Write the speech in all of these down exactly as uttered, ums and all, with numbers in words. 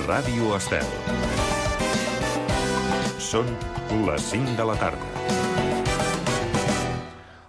Ràdio Estel. Són les cinc de la tarda.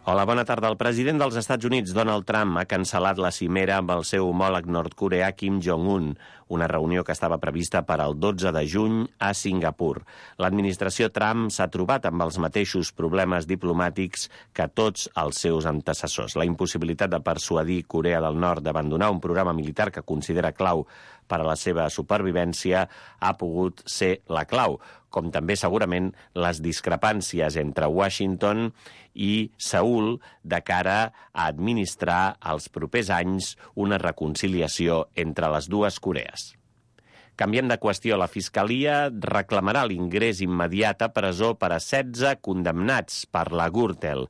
Hola, bona tarda. El president dels Estats Units, Donald Trump, ha cancel·lat la cimera amb el seu homòleg nord-coreà Kim Jong-un, una reunió que estava prevista per al dotze de juny a Singapur. L'administració Trump s'ha trobat amb els mateixos problemes diplomàtics que tots els seus antecessors. La impossibilitat de persuadir Corea del Nord d'abandonar un programa militar que considera clau per a la seva supervivència ha pogut ser la clau, com també segurament les discrepàncies entre Washington i Seül de cara a administrar als propers anys una reconciliació entre les dues Corees. Canviant de qüestió, la Fiscalia reclamarà l'ingrés immediat a presó per a setze condemnats per la Gürtel.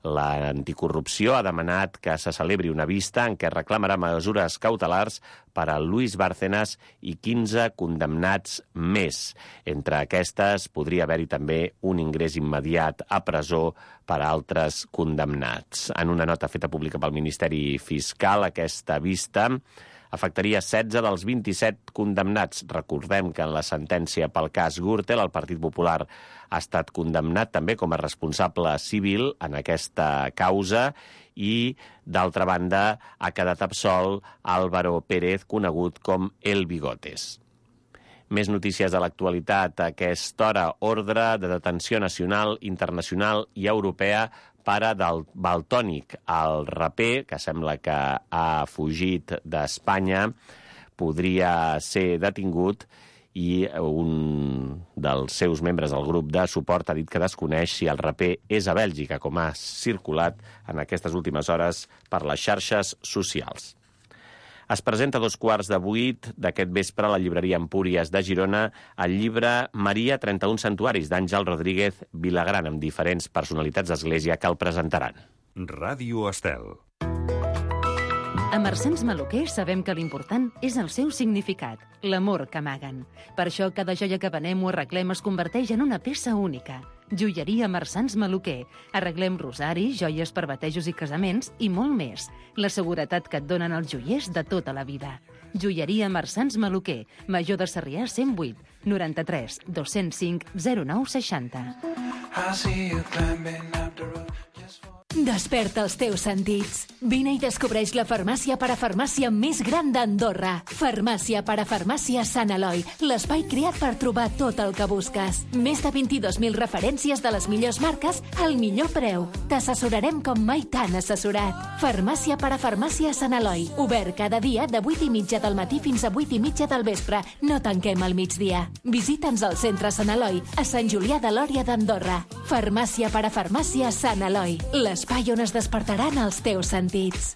L'anticorrupció ha demanat que se celebri una vista en què reclamarà mesures cautelars per a Luis Bárcenas i quinze condemnats més. Entre aquestes podria haver-hi també un ingrés immediat a presó per a altres condemnats. En una nota feta pública pel Ministeri Fiscal, aquesta vista afectaria setze dels vint-i-set condemnats. Recordem que en la sentència pel cas Gürtel, el Partit Popular ha estat condemnat també com a responsable civil en aquesta causa i, d'altra banda, ha quedat absolt Álvaro Pérez, conegut com El Bigotes. Més notícies de l'actualitat a aquesta hora. Ordre de detenció nacional, internacional i europea pare del Valtònyc. El raper, que sembla que ha fugit d'Espanya, podria ser detingut i un dels seus membres del grup de suport ha dit que desconeix si el raper és a Bèlgica, com ha circulat en aquestes últimes hores per les xarxes socials. Es presenta a dos quarts de vuit d'aquest vespre a la llibreria Empúries de Girona el llibre Maria, trenta-un santuaris, d'Àngel Rodríguez Vilagran, amb diferents personalitats d'Església que el presentaran. Ràdio Estel. A Marsans Maluquer sabem que l'important és el seu significat, l'amor que amaguen. Per això cada joia que venem o arreglem es converteix en una peça única. Joieria Marsans Maluquer. Arreglem rosaris, joies per batejos i casaments i molt més. La seguretat que et donen els joiers de tota la vida. Joieria Marsans Maluquer. Major de Sarrià cent vuit, noranta-tres, dos-cents cinc, zero nou seixanta. Desperta els teus sentits. Vine i descobreix la farmàcia parafarmàcia més gran d'Andorra. Farmàcia parafarmàcia Sant Eloi, l'espai creat per trobar tot el que busques. Més de vint-i-dos mil referències de les millors marques al millor preu. T'assessorarem com mai t'han assessorat. Farmàcia parafarmàcia Sant Eloi, obert cada dia de vuit i mitja del matí fins a vuit i mitja del vespre. No tanquem al migdia. Visita'ns al centre Sant Eloi, a Sant Julià de Lòria d'Andorra. Farmàcia parafarmàcia Sant Eloi, les espai on es despertaran els teus sentits.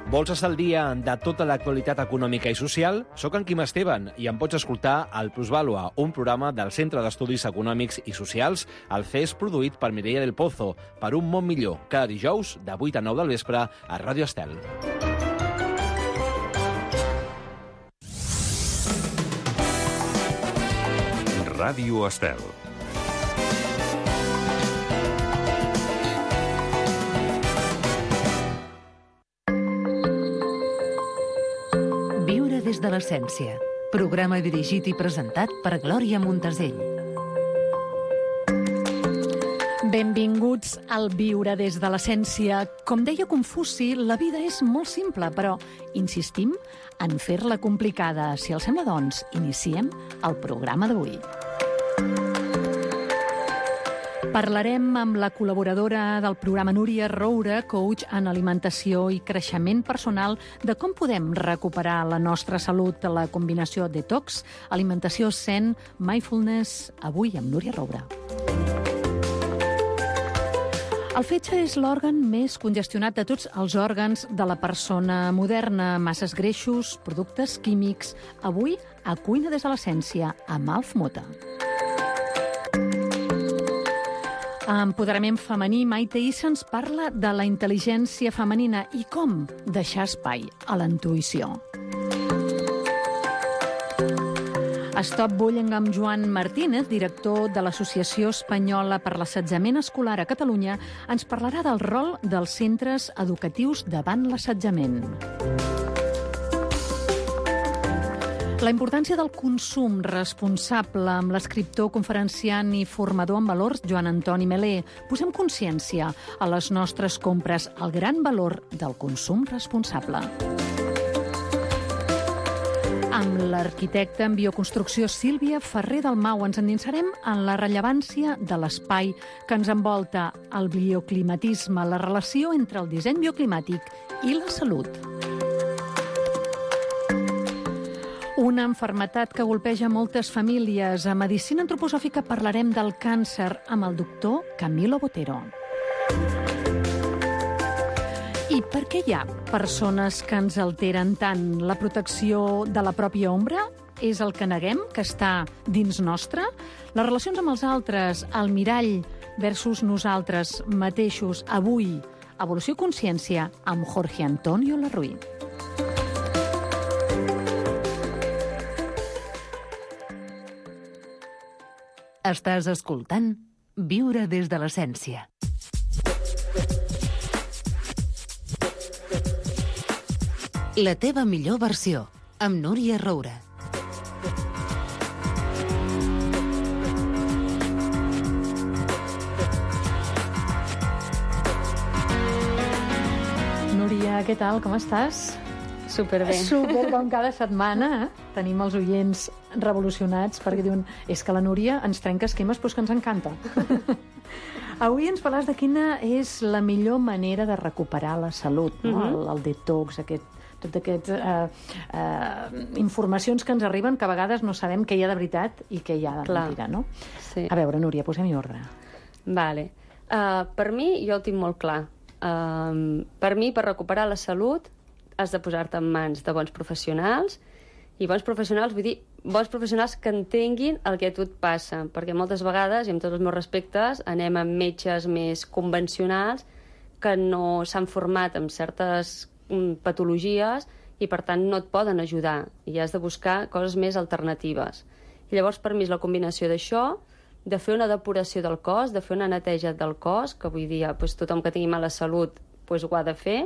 Vols estar al dia de tota l'actualitat econòmica i social? Soc en Quim Esteban i em pots escoltar al Plusvàlua, un programa del Centre d'Estudis Econòmics i Socials, el C E S produït per Mireia del Pozo, per un món millor, cada dijous de vuit a nou del vespre a Ràdio Estel. Ràdio Estel. Des de l'essència. Programa dirigit i presentat per Glòria Montesell. Benvinguts al Viure des de l'essència. Com deia Confuci, la vida és molt simple, però insistim en fer-la complicada. Si els sembla, doncs, iniciem el programa d'avui. Parlarem amb la col·laboradora del programa Núria Roura, coach en alimentació i creixement personal, de com podem recuperar la nostra salut, la combinació detox, alimentació zen, mindfulness, avui amb Núria Roura. El fetge és l'òrgan més congestionat de tots els òrgans de la persona moderna. Masses greixos, productes químics. Avui, a Cuina des de l'essència, amb Alf Mota. A Empoderament femení, Maite Issa ens parla de la intel·ligència femenina i com deixar espai a la intuïció. Stop Bullying amb Joan Martínez, director de l'Associació Espanyola per l'Assetjament Escolar a Catalunya, ens parlarà del rol dels centres educatius davant l'assetjament. La importància del consum responsable amb l'escriptor, conferenciant i formador en valors Joan Antoni Melé. Posem consciència a les nostres compres, el gran valor del consum responsable. Amb l'arquitecta en bioconstrucció Sílvia Ferrer Dalmau ens endinsarem en la rellevància de l'espai que ens envolta, el bioclimatisme, la relació entre el disseny bioclimàtic i la salut. Una malaltia que golpeja moltes famílies. A Medicina Antroposòfica parlarem del càncer amb el doctor Camilo Botero. I per què hi ha persones que ens alteren tant? La protecció de la pròpia ombra és el que neguem, que està dins nostre? Les relacions amb els altres, el mirall versus nosaltres mateixos, avui, Evolució i Consciència, amb Jorge Antonio Larruy. Estàs escoltant Viure des de l'essència. La teva millor versió, amb Núria Roura. Núria, què tal? Com estàs? Superbé. Super, com cada setmana. Eh? Tenim els oients revolucionats perquè diuen és que la Núria ens trenca esquemes però és que ens encanta. Avui ens parles de quina és la millor manera de recuperar la salut, no? Mm-hmm. el, el detox, aquest, tot aquestes uh, uh, informacions que ens arriben que a vegades no sabem què hi ha de veritat i què hi ha de mentida, no? Sí. A veure, Núria, posem-hi ordre. Vale. Uh, per mi, jo ho tinc molt clar. Uh, per mi, per recuperar la salut, has de posar-te en mans de bons professionals, i bons professionals, vull dir, bons professionals que entenguin el que a tu et passa, perquè moltes vegades, i amb tots els meus respectes, anem amb metges més convencionals que no s'han format en certes mm, patologies i, per tant, no et poden ajudar, i has de buscar coses més alternatives. I llavors, per mi, és la combinació d'això, de fer una depuració del cos, de fer una neteja del cos, que avui dia doncs, tothom que tingui mala salut doncs, ho ha de fer,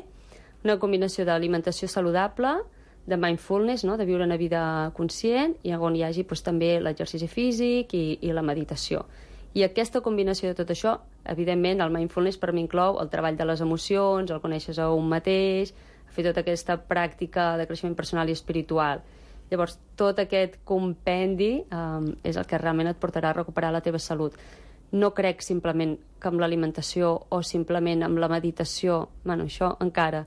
una combinació d'alimentació saludable, de mindfulness, no? De viure una vida conscient, i on hi hagi doncs, també l'exercici físic i, i la meditació. I aquesta combinació de tot això, evidentment, el mindfulness per mi inclou el treball de les emocions, el conèixer a un mateix, fer tota aquesta pràctica de creixement personal i espiritual. Llavors, tot aquest compendi um, és el que realment et portarà a recuperar la teva salut. No crec simplement que amb l'alimentació o simplement amb la meditació, bueno, això encara,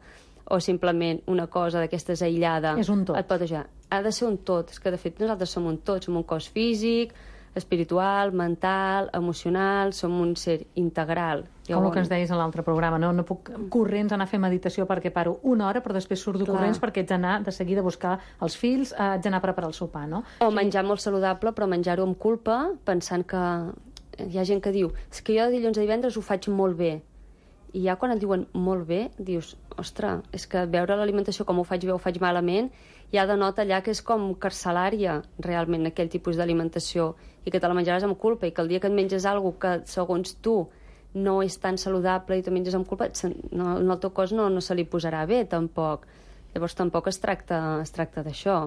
o simplement una cosa d'aquestes aïllada és un tot. Et pot ajudar. Ha de ser un tot. És que, de fet, nosaltres som un tot. Som un cos físic, espiritual, mental, emocional, som un ser integral. Jo, com el que ens deies a l'altre programa, no? No puc corrents anar a fer meditació perquè paro una hora, però després surto Clar. corrents perquè ets d'anar de seguida a buscar els fills, eh, ets d'anar a preparar el sopar, no? O menjar molt saludable, però menjar-ho amb culpa, pensant que hi ha gent que diu és que jo de dilluns a divendres ho faig molt bé. I ja quan et diuen molt bé, dius, ostres, és que veure l'alimentació com ho faig bé o ho faig malament, ja denota allà que és com carcelària, realment, aquell tipus d'alimentació, i que te la menjaràs amb culpa, i que el dia que et menges alguna cosa que, segons tu, no és tan saludable i tu menges amb culpa, no, en el teu cos no, no se li posarà bé, tampoc. Llavors, tampoc es tracta, es tracta d'això.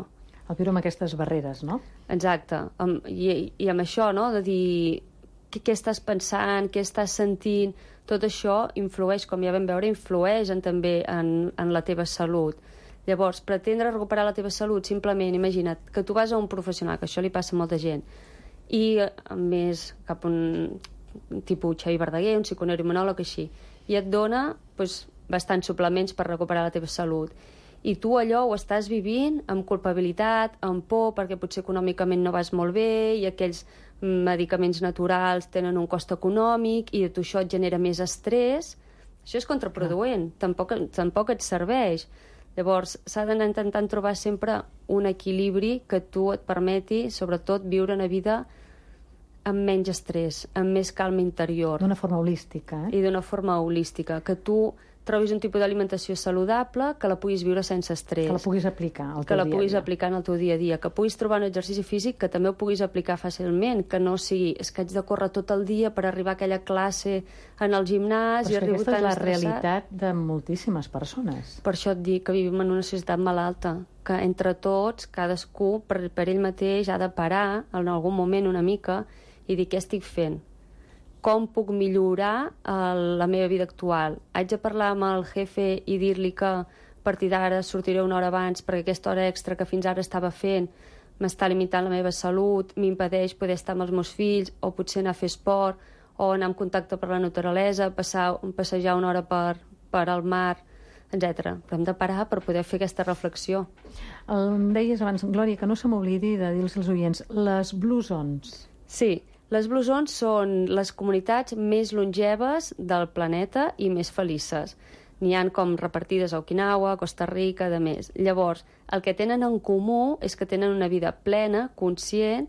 El viure amb aquestes barreres, no? Exacte. I, i amb això, no?, de dir què, què estàs pensant, què estàs sentint, tot això influeix, com ja vam veure, influeix en, també en, en la teva salut. Llavors, pretendre recuperar la teva salut, simplement, imagina't, que tu vas a un professional, que això li passa a molta gent, i a més cap a un, un tipus Xavi Verdaguer, un psiconeuroimunòleg així, i et dona doncs, bastants suplements per recuperar la teva salut. I tu allò ho estàs vivint amb culpabilitat, amb por, perquè potser econòmicament no vas molt bé, i aquells medicaments naturals tenen un cost econòmic, i a tu això et genera més estrès. Això és contraproduent, ah. tampoc, tampoc et serveix. Llavors, s'ha d'anar intentant trobar sempre un equilibri que tu et permeti, sobretot, viure una vida amb menys estrès, amb més calma interior. D'una forma holística, eh? I d'una forma holística, que tu trobis un tipus d'alimentació saludable, que la puguis viure sense estrès. Que la puguis aplicar al teu que la dia a puguis dia. aplicar en el teu dia a dia, que puguis trobar un exercici físic que també ho puguis aplicar fàcilment, que no sigui, és que haig de córrer tot el dia per arribar a aquella classe en el gimnàs i Però és que arribo aquesta tan és la estressat. realitat de moltíssimes persones. Per això et dic que vivim en una societat malalta, que entre tots, cadascú, per, per ell mateix, ha de parar en algun moment una mica i dir què estic fent. Com puc millorar el, la meva vida actual? Haig de parlar amb el jefe i dir-li que a partir d'ara sortiré una hora abans perquè aquesta hora extra que fins ara estava fent m'està limitant la meva salut, m'impedeix poder estar amb els meus fills, o potser anar a fer esport, o anar en contacte per la naturalesa, passar, passejar una hora per, per al mar, etcètera. Però hem de parar per poder fer aquesta reflexió. El, em deies abans, Glòria, que no se m'oblidi de dir-los als oients, les Blue Zones. Sí, les Blue Zones són les comunitats més longeves del planeta i més felices. N'hi ha com repartides a Okinawa, Costa Rica, de més. Llavors, el que tenen en comú és que tenen una vida plena, conscient,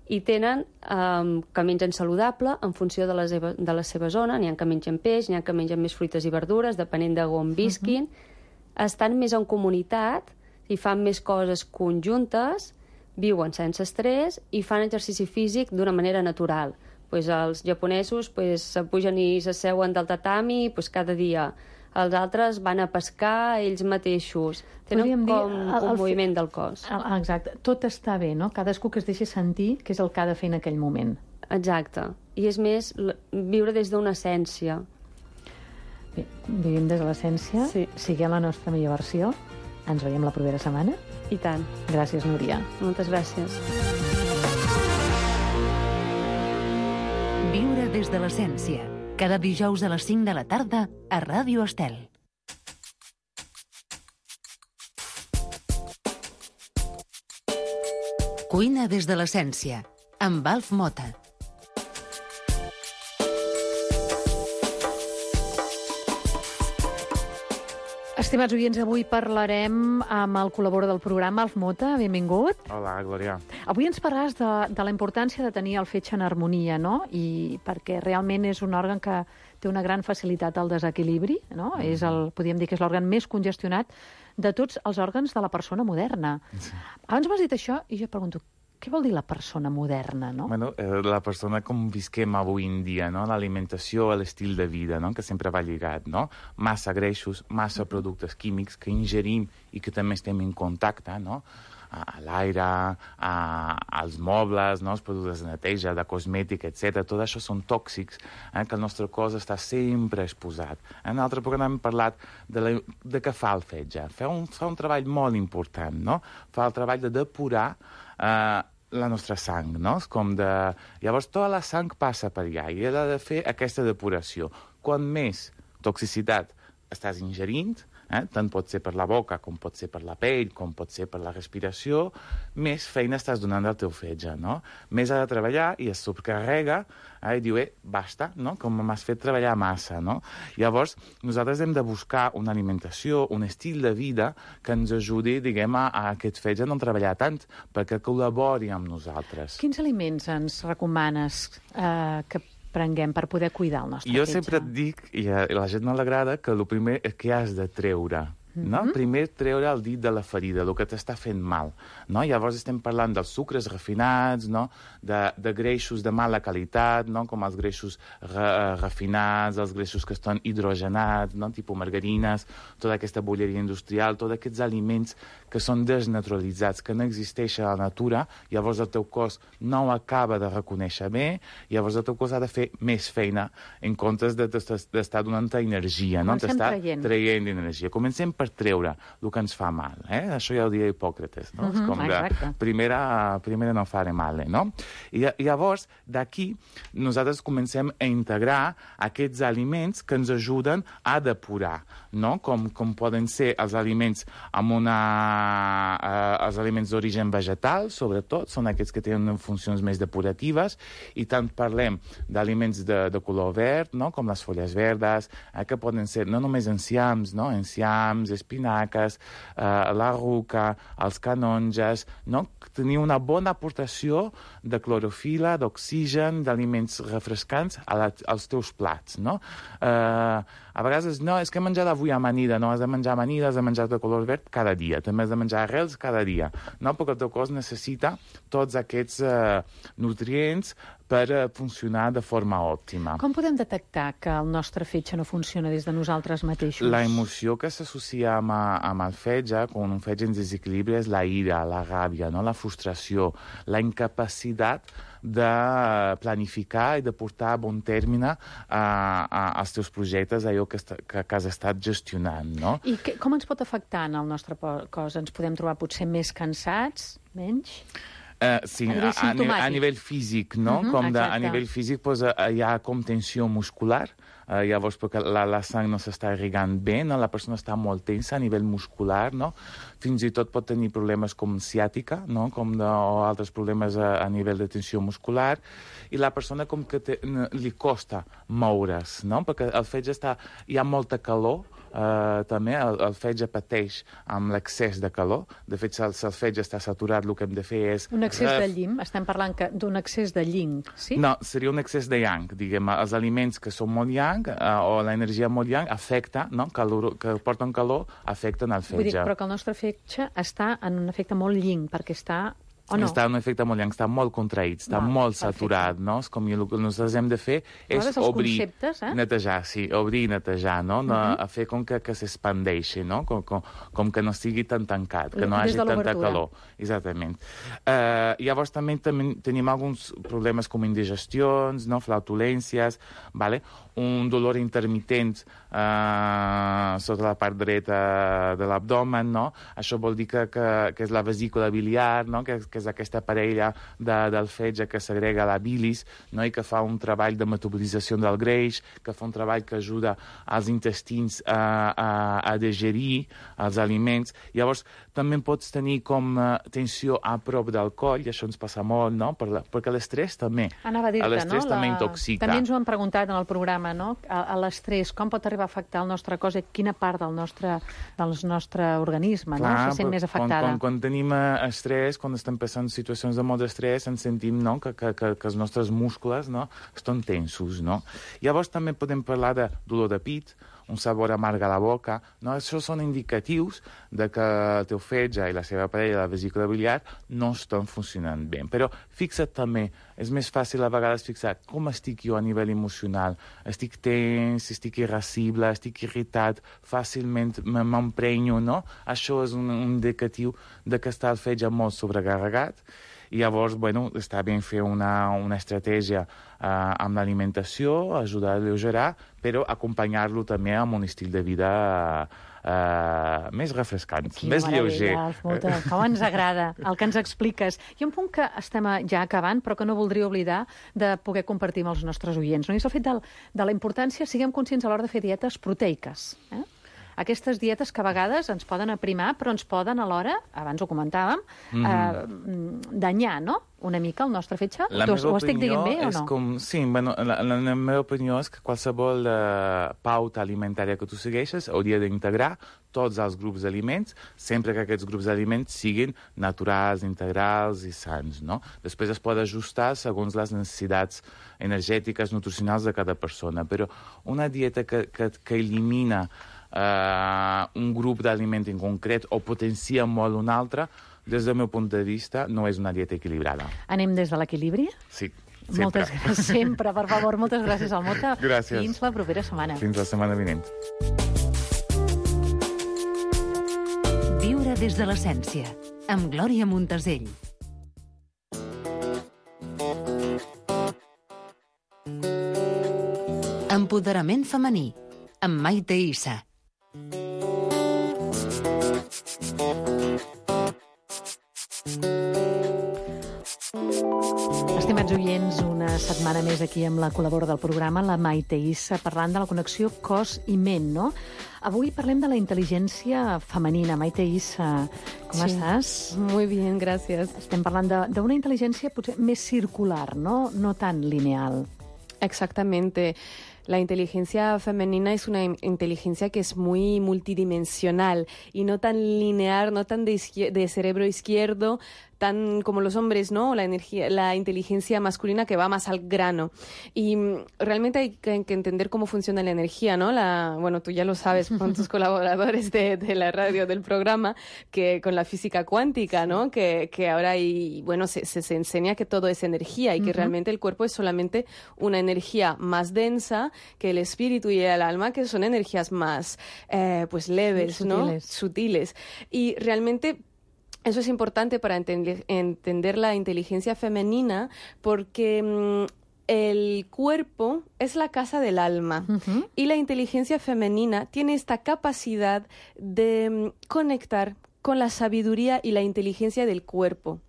i tenen um, que mengen saludable en funció de la, seva, de la seva zona. N'hi ha que mengen peix, n'hi ha que mengen més fruites i verdures, depenent de on visquin. Uh-huh. Estan més en comunitat i fan més coses conjuntes, viuen sense estrès i fan exercici físic d'una manera natural. Pues els japonesos pues, se pugen i s'asseuen del tatami pues, cada dia. Els altres van a pescar ells mateixos. Tenen Podríem com dir, el- un el moviment del cos. Ah, exacte. Tot està bé, no? Cadascú que es deixi sentir que és el que ha de fer en aquell moment. Exacte. I és més, l- viure des d'una essència. Bé, vivim des de l'essència. Sí. Siguem la nostra millor versió. Ens veiem la propera setmana. I tant. Gràcies, Núria. Moltes gràcies. Viure des de l'essència. Cada dijous a les cinc de la tarda a Ràdio Estel. Cuina des de l'essència, amb Alf Mota. Estimats oients, avui parlarem amb el col·laborador del programa, Alf Mota. Benvingut. Hola, Glòria. Avui ens parlaràs de, de la importància de tenir el fetge en harmonia, no? I perquè realment és un òrgan que té una gran facilitat al desequilibri, no? Mm. És el, podríem dir que és l'òrgan més congestionat de tots els òrgans de la persona moderna. Sí. Abans m'has dit això i jo pregunto, què vol dir la persona moderna, no? Bueno, eh, la persona com visquem avui en dia, no? L'alimentació, l'estil de vida, no? Que sempre va lligat, no? Massa greixos, massa productes químics que ingerim i que també estem en contacte, no? A l'aire, a, als mobles, no? Els productes de neteja, de cosmètica, etcètera. Tot això són tòxics, eh? Que el nostre cos està sempre exposat. En l'altre programa hem parlat de, la, de què fa el fetge. Fa un, fa un treball molt important, no? Fa el treball de depurar eh, la nostra sang, no? Com de... Llavors, tota la sang passa per allà i ha de fer aquesta depuració. Quan més toxicitat estàs ingerint, eh? Tant pot ser per la boca, com pot ser per la pell, com pot ser per la respiració, més feina estàs donant al teu fetge, no? Més ha de treballar i es subcarrega eh? I diu, eh, basta, no? Com m'has fet treballar massa, no? Llavors, nosaltres hem de buscar una alimentació, un estil de vida que ens ajudi, diguem, a, a aquest fetge a no treballar tant, perquè col·labori amb nosaltres. Quins aliments ens recomanes eh, que prenguem per poder cuidar el nostre Jo fetge? sempre et dic, i a la gent no l'agrada, que el primer és que has de treure. No? Primer treure el dit de la ferida, el que t'està fent mal. No? Llavors estem parlant dels sucres refinats, no? de, de greixos de mala qualitat, no? Com els greixos re, refinats, els greixos que estan hidrogenats, no? Tipus margarines, tota aquesta bolleria industrial, tots aquests aliments que són desnaturalitzats, que no existeixen a la natura, llavors el teu cos no ho acaba de reconèixer bé, llavors el teu cos ha de fer més feina en comptes d'estar donant-te energia, no? Comencem T'està traient. traient energia. Comencem per treure el que ens fa mal. Eh? Això ja ho deia Hipòcrates, no? Mhm, És com de exacte. primera, primera no fare male, no? I llavors, d'aquí, nosaltres comencem a integrar aquests aliments que ens ajuden a depurar, no? Com, com poden ser els aliments amb una... Eh, els aliments d'origen vegetal, sobretot, són aquests que tenen funcions més depuratives, i tant parlem d'aliments de, de color verd, no? Com les fulles verdes, eh, que poden ser no només enciams, no? Enciams, espinaques, eh, la ruca, els canonges, no? Tenir una bona aportació de clorofila, d'oxigen, d'aliments refrescants a la, als teus plats, no? Eh, a vegades, no, és que he menjat avui amanida, no, has de menjar amanida, has de menjar de color verd cada dia, també has de menjar arrels cada dia, no? Perquè el teu cos necessita tots aquests eh, nutrients per uh, funcionar de forma òptima. Com podem detectar que el nostre fetge no funciona des de nosaltres mateixos? La emoció que s'associa amb, amb el fetge, quan un fetge en desequilibri, és la ira, la ràbia, no? La frustració, la incapacitat de planificar i de portar a bon terme a, a, als teus projectes, allò que, est que, que has estat gestionant, no? I que, com ens pot afectar en el nostre cos? Ens podem trobar potser més cansats, menys? Uh, sí, a, a, a nivell físic, no? Uh-huh, com de, a nivell físic pues, uh, hi ha com tensió muscular, uh, llavors perquè la, la sang no s'està irrigant bé, no? La persona està molt tensa a nivell muscular, no? Fins i tot pot tenir problemes com ciàtica, no? Com de, o altres problemes a, a nivell de tensió muscular, i la persona com que te, li costa moure's, no? Perquè el fetge està, hi ha molta calor, Uh, també el, el fetge pateix amb l'excés de calor. De fet, si el, si el fetge està saturat, el que hem de fer és... Un excés ref... de llim? Estem parlant que d'un excés de yin, sí? No, seria un excés de yang, diguem. Els aliments que són molt yang uh, o l'energia molt yang afecta, no? Calor, que porten calor, afecten el fetge. Vull dir, però que el nostre fetge està en un efecte molt yin, perquè està... O no? Està en un efecte molt llarg, està molt contraït, està Val, molt perfecte. saturat, no? És com el que nosaltres hem de fer és els obrir, conceptes, eh? netejar, sí, obrir i netejar, no? no Uh-huh. A fer com que, que s'expandeixi, no? Com, com, com que no estigui tan tancat, que no Des hagi de tanta l'obertura. calor. Exactament. Uh, llavors també, també tenim alguns problemes com indigestions, no? Flatulències, vale? Un dolor intermitent uh, sota la part dreta de l'abdomen, no? Això vol dir que, que, que és la vesícula biliar, no? Que, que és aquesta parella de, del fetge que segrega la bilis, no? I que fa un treball de metabolització del greix, que fa un treball que ajuda als intestins a, a, a digerir els aliments. Llavors, també pots tenir com uh, tensió a prop del coll, i això ens passa molt, no? Per la, perquè l'estrès també. Anava a dir-te, l'estrès no? també La... intoxica. També ens ho han preguntat en el programa, no? A, a l'estrès, com pot arribar a afectar el nostre cos i quina part del nostre, del nostre organisme, Clar, no? Se sent més afectada. Quan, quan, quan tenim estrès, quan estem passant situacions de molt d'estrès, ens sentim, no? que, que, que, que els nostres músculs, no? Estan tensos, no? Llavors també podem parlar de dolor de pit, un sabor amarg a la boca, no? Això són indicatius de que el teu fetge i la seva parella, la vesícula biliar, no estan funcionant bé. Però fixa't també, és més fàcil a vegades fixar com estic jo a nivell emocional. Estic tens, estic irascible, estic irritat, fàcilment m'emprenyo, no? Això és un, un indicatiu de que està el fetge molt sobrecarregat. I llavors, bueno, està bé fer una, una estratègia uh, amb l'alimentació, ajudar a alleugerar, però acompanyar-lo també amb un estil de vida uh, més refrescant, Quina més lleuger. Molta, com ens agrada el que ens expliques. Hi ha un punt que estem ja acabant, però que no voldria oblidar de poder compartir amb els nostres oients. No? I és el fet de, de la importància, siguem conscients a l'hora de fer dietes proteiques. Eh? Aquestes dietes que a vegades ens poden aprimar, però ens poden alhora, abans ho comentàvem, mm. eh, danyar, no?, una mica el nostre fetge. La tu, meva ho estic dient bé o és no? com, sí, bueno, la, la, la meva opinió és que qualsevol uh, pauta alimentària que tu segueixes hauria d'integrar tots els grups d'aliments, sempre que aquests grups d'aliments siguin naturals, integrals i sants, no? Després es pot ajustar segons les necessitats energètiques, nutricionals de cada persona, però una dieta que, que, que elimina Uh, un grup d'aliment en concret o potencia molt un altre, des del meu punt de vista, no és una dieta equilibrada. Anem des de l'equilibri? Sí, sempre. Moltes gràcies, sempre, per favor. Moltes gràcies, Almota. Gràcies. Fins la propera setmana. Fins la setmana vinent. Viure des de l'essència, amb Glòria Montesell. Empoderament femení, amb Maite Issa. Estimats oients, una setmana més aquí amb la col·laboradora del programa, la Maite Issa, parlant de la connexió cos i ment, no? Avui parlem de la intel·ligència femenina. Maite Issa, com sí. estàs? Muy bien, gracias. Estem parlant d'una intel·ligència potser més circular, no, no tan lineal. Exactamente. La inteligencia femenina es una in- inteligencia que es muy multidimensional y no tan lineal, no tan de, izquier- de cerebro izquierdo, tan como los hombres, ¿no? La energía, la inteligencia masculina que va más al grano. Y mm, realmente hay que, que entender cómo funciona la energía, ¿no? La, bueno, tú ya lo sabes con tus colaboradores de, de la radio, del programa, que con la física cuántica, ¿no? Que, que ahora hay, bueno, se, se, se enseña que todo es energía y que Ujú. realmente el cuerpo es solamente una energía más densa que el espíritu y el alma, que son energías más, eh, pues, leves, Sí, ¿no? sutiles. Sutiles. Y realmente eso es importante para entender, entender la inteligencia femenina porque mm, el cuerpo es la casa del alma Ujú. y la inteligencia femenina tiene esta capacidad de mm, conectar con la sabiduría y la inteligencia del cuerpo.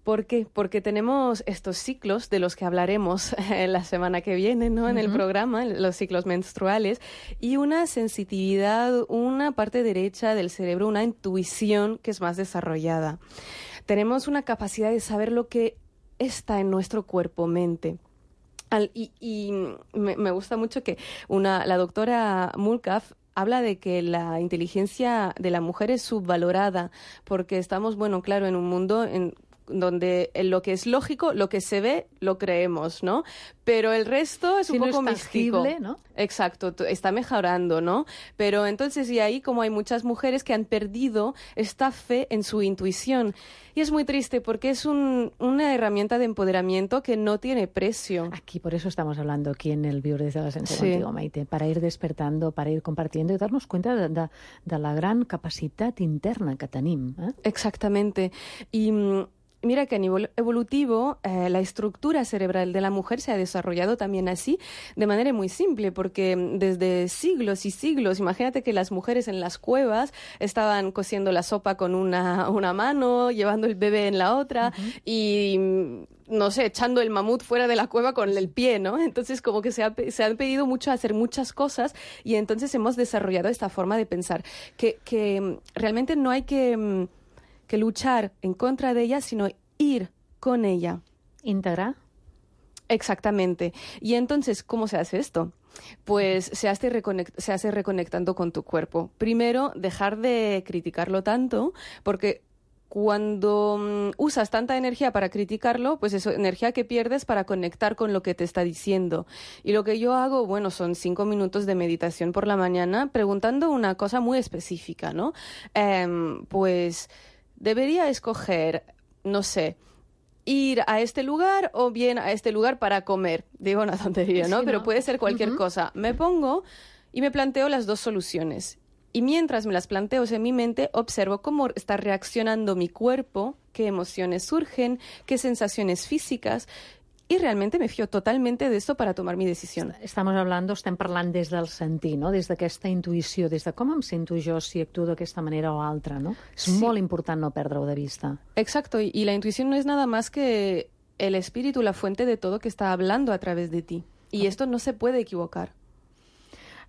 ¿Por qué? Porque tenemos estos ciclos de los que hablaremos eh, la semana que viene, ¿no? En el Ujú. programa, los ciclos menstruales, y una sensitividad, una parte derecha del cerebro, una intuición que es más desarrollada. Tenemos una capacidad de saber lo que está en nuestro cuerpo-mente. Al- y y me, me gusta mucho que una, la doctora Mulcaf habla de que la inteligencia de la mujer es subvalorada porque estamos, bueno, claro, en un mundo en donde en lo que es lógico, lo que se ve, lo creemos, ¿no? Pero el resto es Si un no poco es místico. tangible, ¿no? Exacto, t- está mejorando, ¿no? Pero entonces, y ahí como hay muchas mujeres que han perdido esta fe en su intuición. Y es muy triste porque es un, una herramienta de empoderamiento que no tiene precio. Aquí, por eso estamos hablando aquí en el Viure desde la Esencia Sí. contigo, Maite, para ir despertando, para ir compartiendo y darnos cuenta de, de, de la gran capacitat interna que tenim. Eh? Exactamente. Y mm, mira que a nivel evolutivo eh, la estructura cerebral de la mujer se ha desarrollado también así, de manera muy simple, porque mm, desde siglos y siglos, imagínate que las mujeres en las cuevas estaban cociendo la sopa con una, una mano, llevando el bebé en la otra y, mm, no sé, echando el mamut fuera de la cueva con el pie, ¿no? Entonces como que se, ha, pe- se han pedido mucho hacer muchas cosas y entonces hemos desarrollado esta forma de pensar, que, que mm, realmente no hay que... mm, que luchar en contra de ella, sino ir con ella. Integrar. Exactamente. Y entonces, ¿cómo se hace esto? Pues se hace, reconect- se hace reconectando con tu cuerpo. Primero, dejar de criticarlo tanto, porque cuando mm, usas tanta energía para criticarlo, pues es energía que pierdes para conectar con lo que te está diciendo. Y lo que yo hago, bueno, son cinco minutos de meditación por la mañana preguntando una cosa muy específica, ¿no? Em, pues debería escoger, no sé, ir a este lugar o bien a este lugar para comer. Digo una tontería, ¿no? Sí, Pero ¿no? puede ser cualquier Ujú. cosa. Me pongo y me planteo las dos soluciones. Y mientras me las planteo en mi mente, observo cómo está reaccionando mi cuerpo, qué emociones surgen, qué sensaciones físicas, y realmente me fío totalmente de esto para tomar mi decisión. Estamos hablando, estem parlant des del sentir, no? Des d'aquesta intuïció, des de com em sento jo si actuo d'aquesta manera o altra, no? És Sí. molt important no perdre-ho de vista. Exacto, y, y la intuición no es nada más que el espíritu, la fuente de todo que está hablando a través de ti. Y esto no se puede equivocar.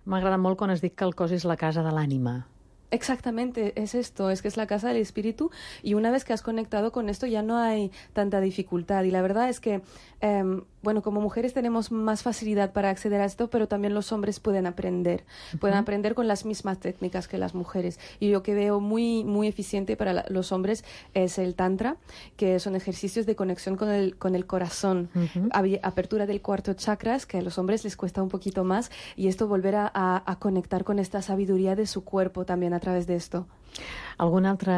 M'agrada molt quan has dit que el cos és la casa de l'ànima. Exactamente, es esto, es que es la casa del espíritu y una vez que has conectado con esto ya no hay tanta dificultad y la verdad es que, eh, bueno, como mujeres tenemos más facilidad para acceder a esto, pero también los hombres pueden aprender, pueden aprender con las mismas técnicas que las mujeres y lo que veo muy, muy eficiente para la- los hombres es el tantra, que son ejercicios de conexión con el, con el corazón, Ujú. Abi- apertura del cuarto chakras, que a los hombres les cuesta un poquito más y esto volver a, a- a conectar con esta sabiduría de su cuerpo también a través de esto. Algun altre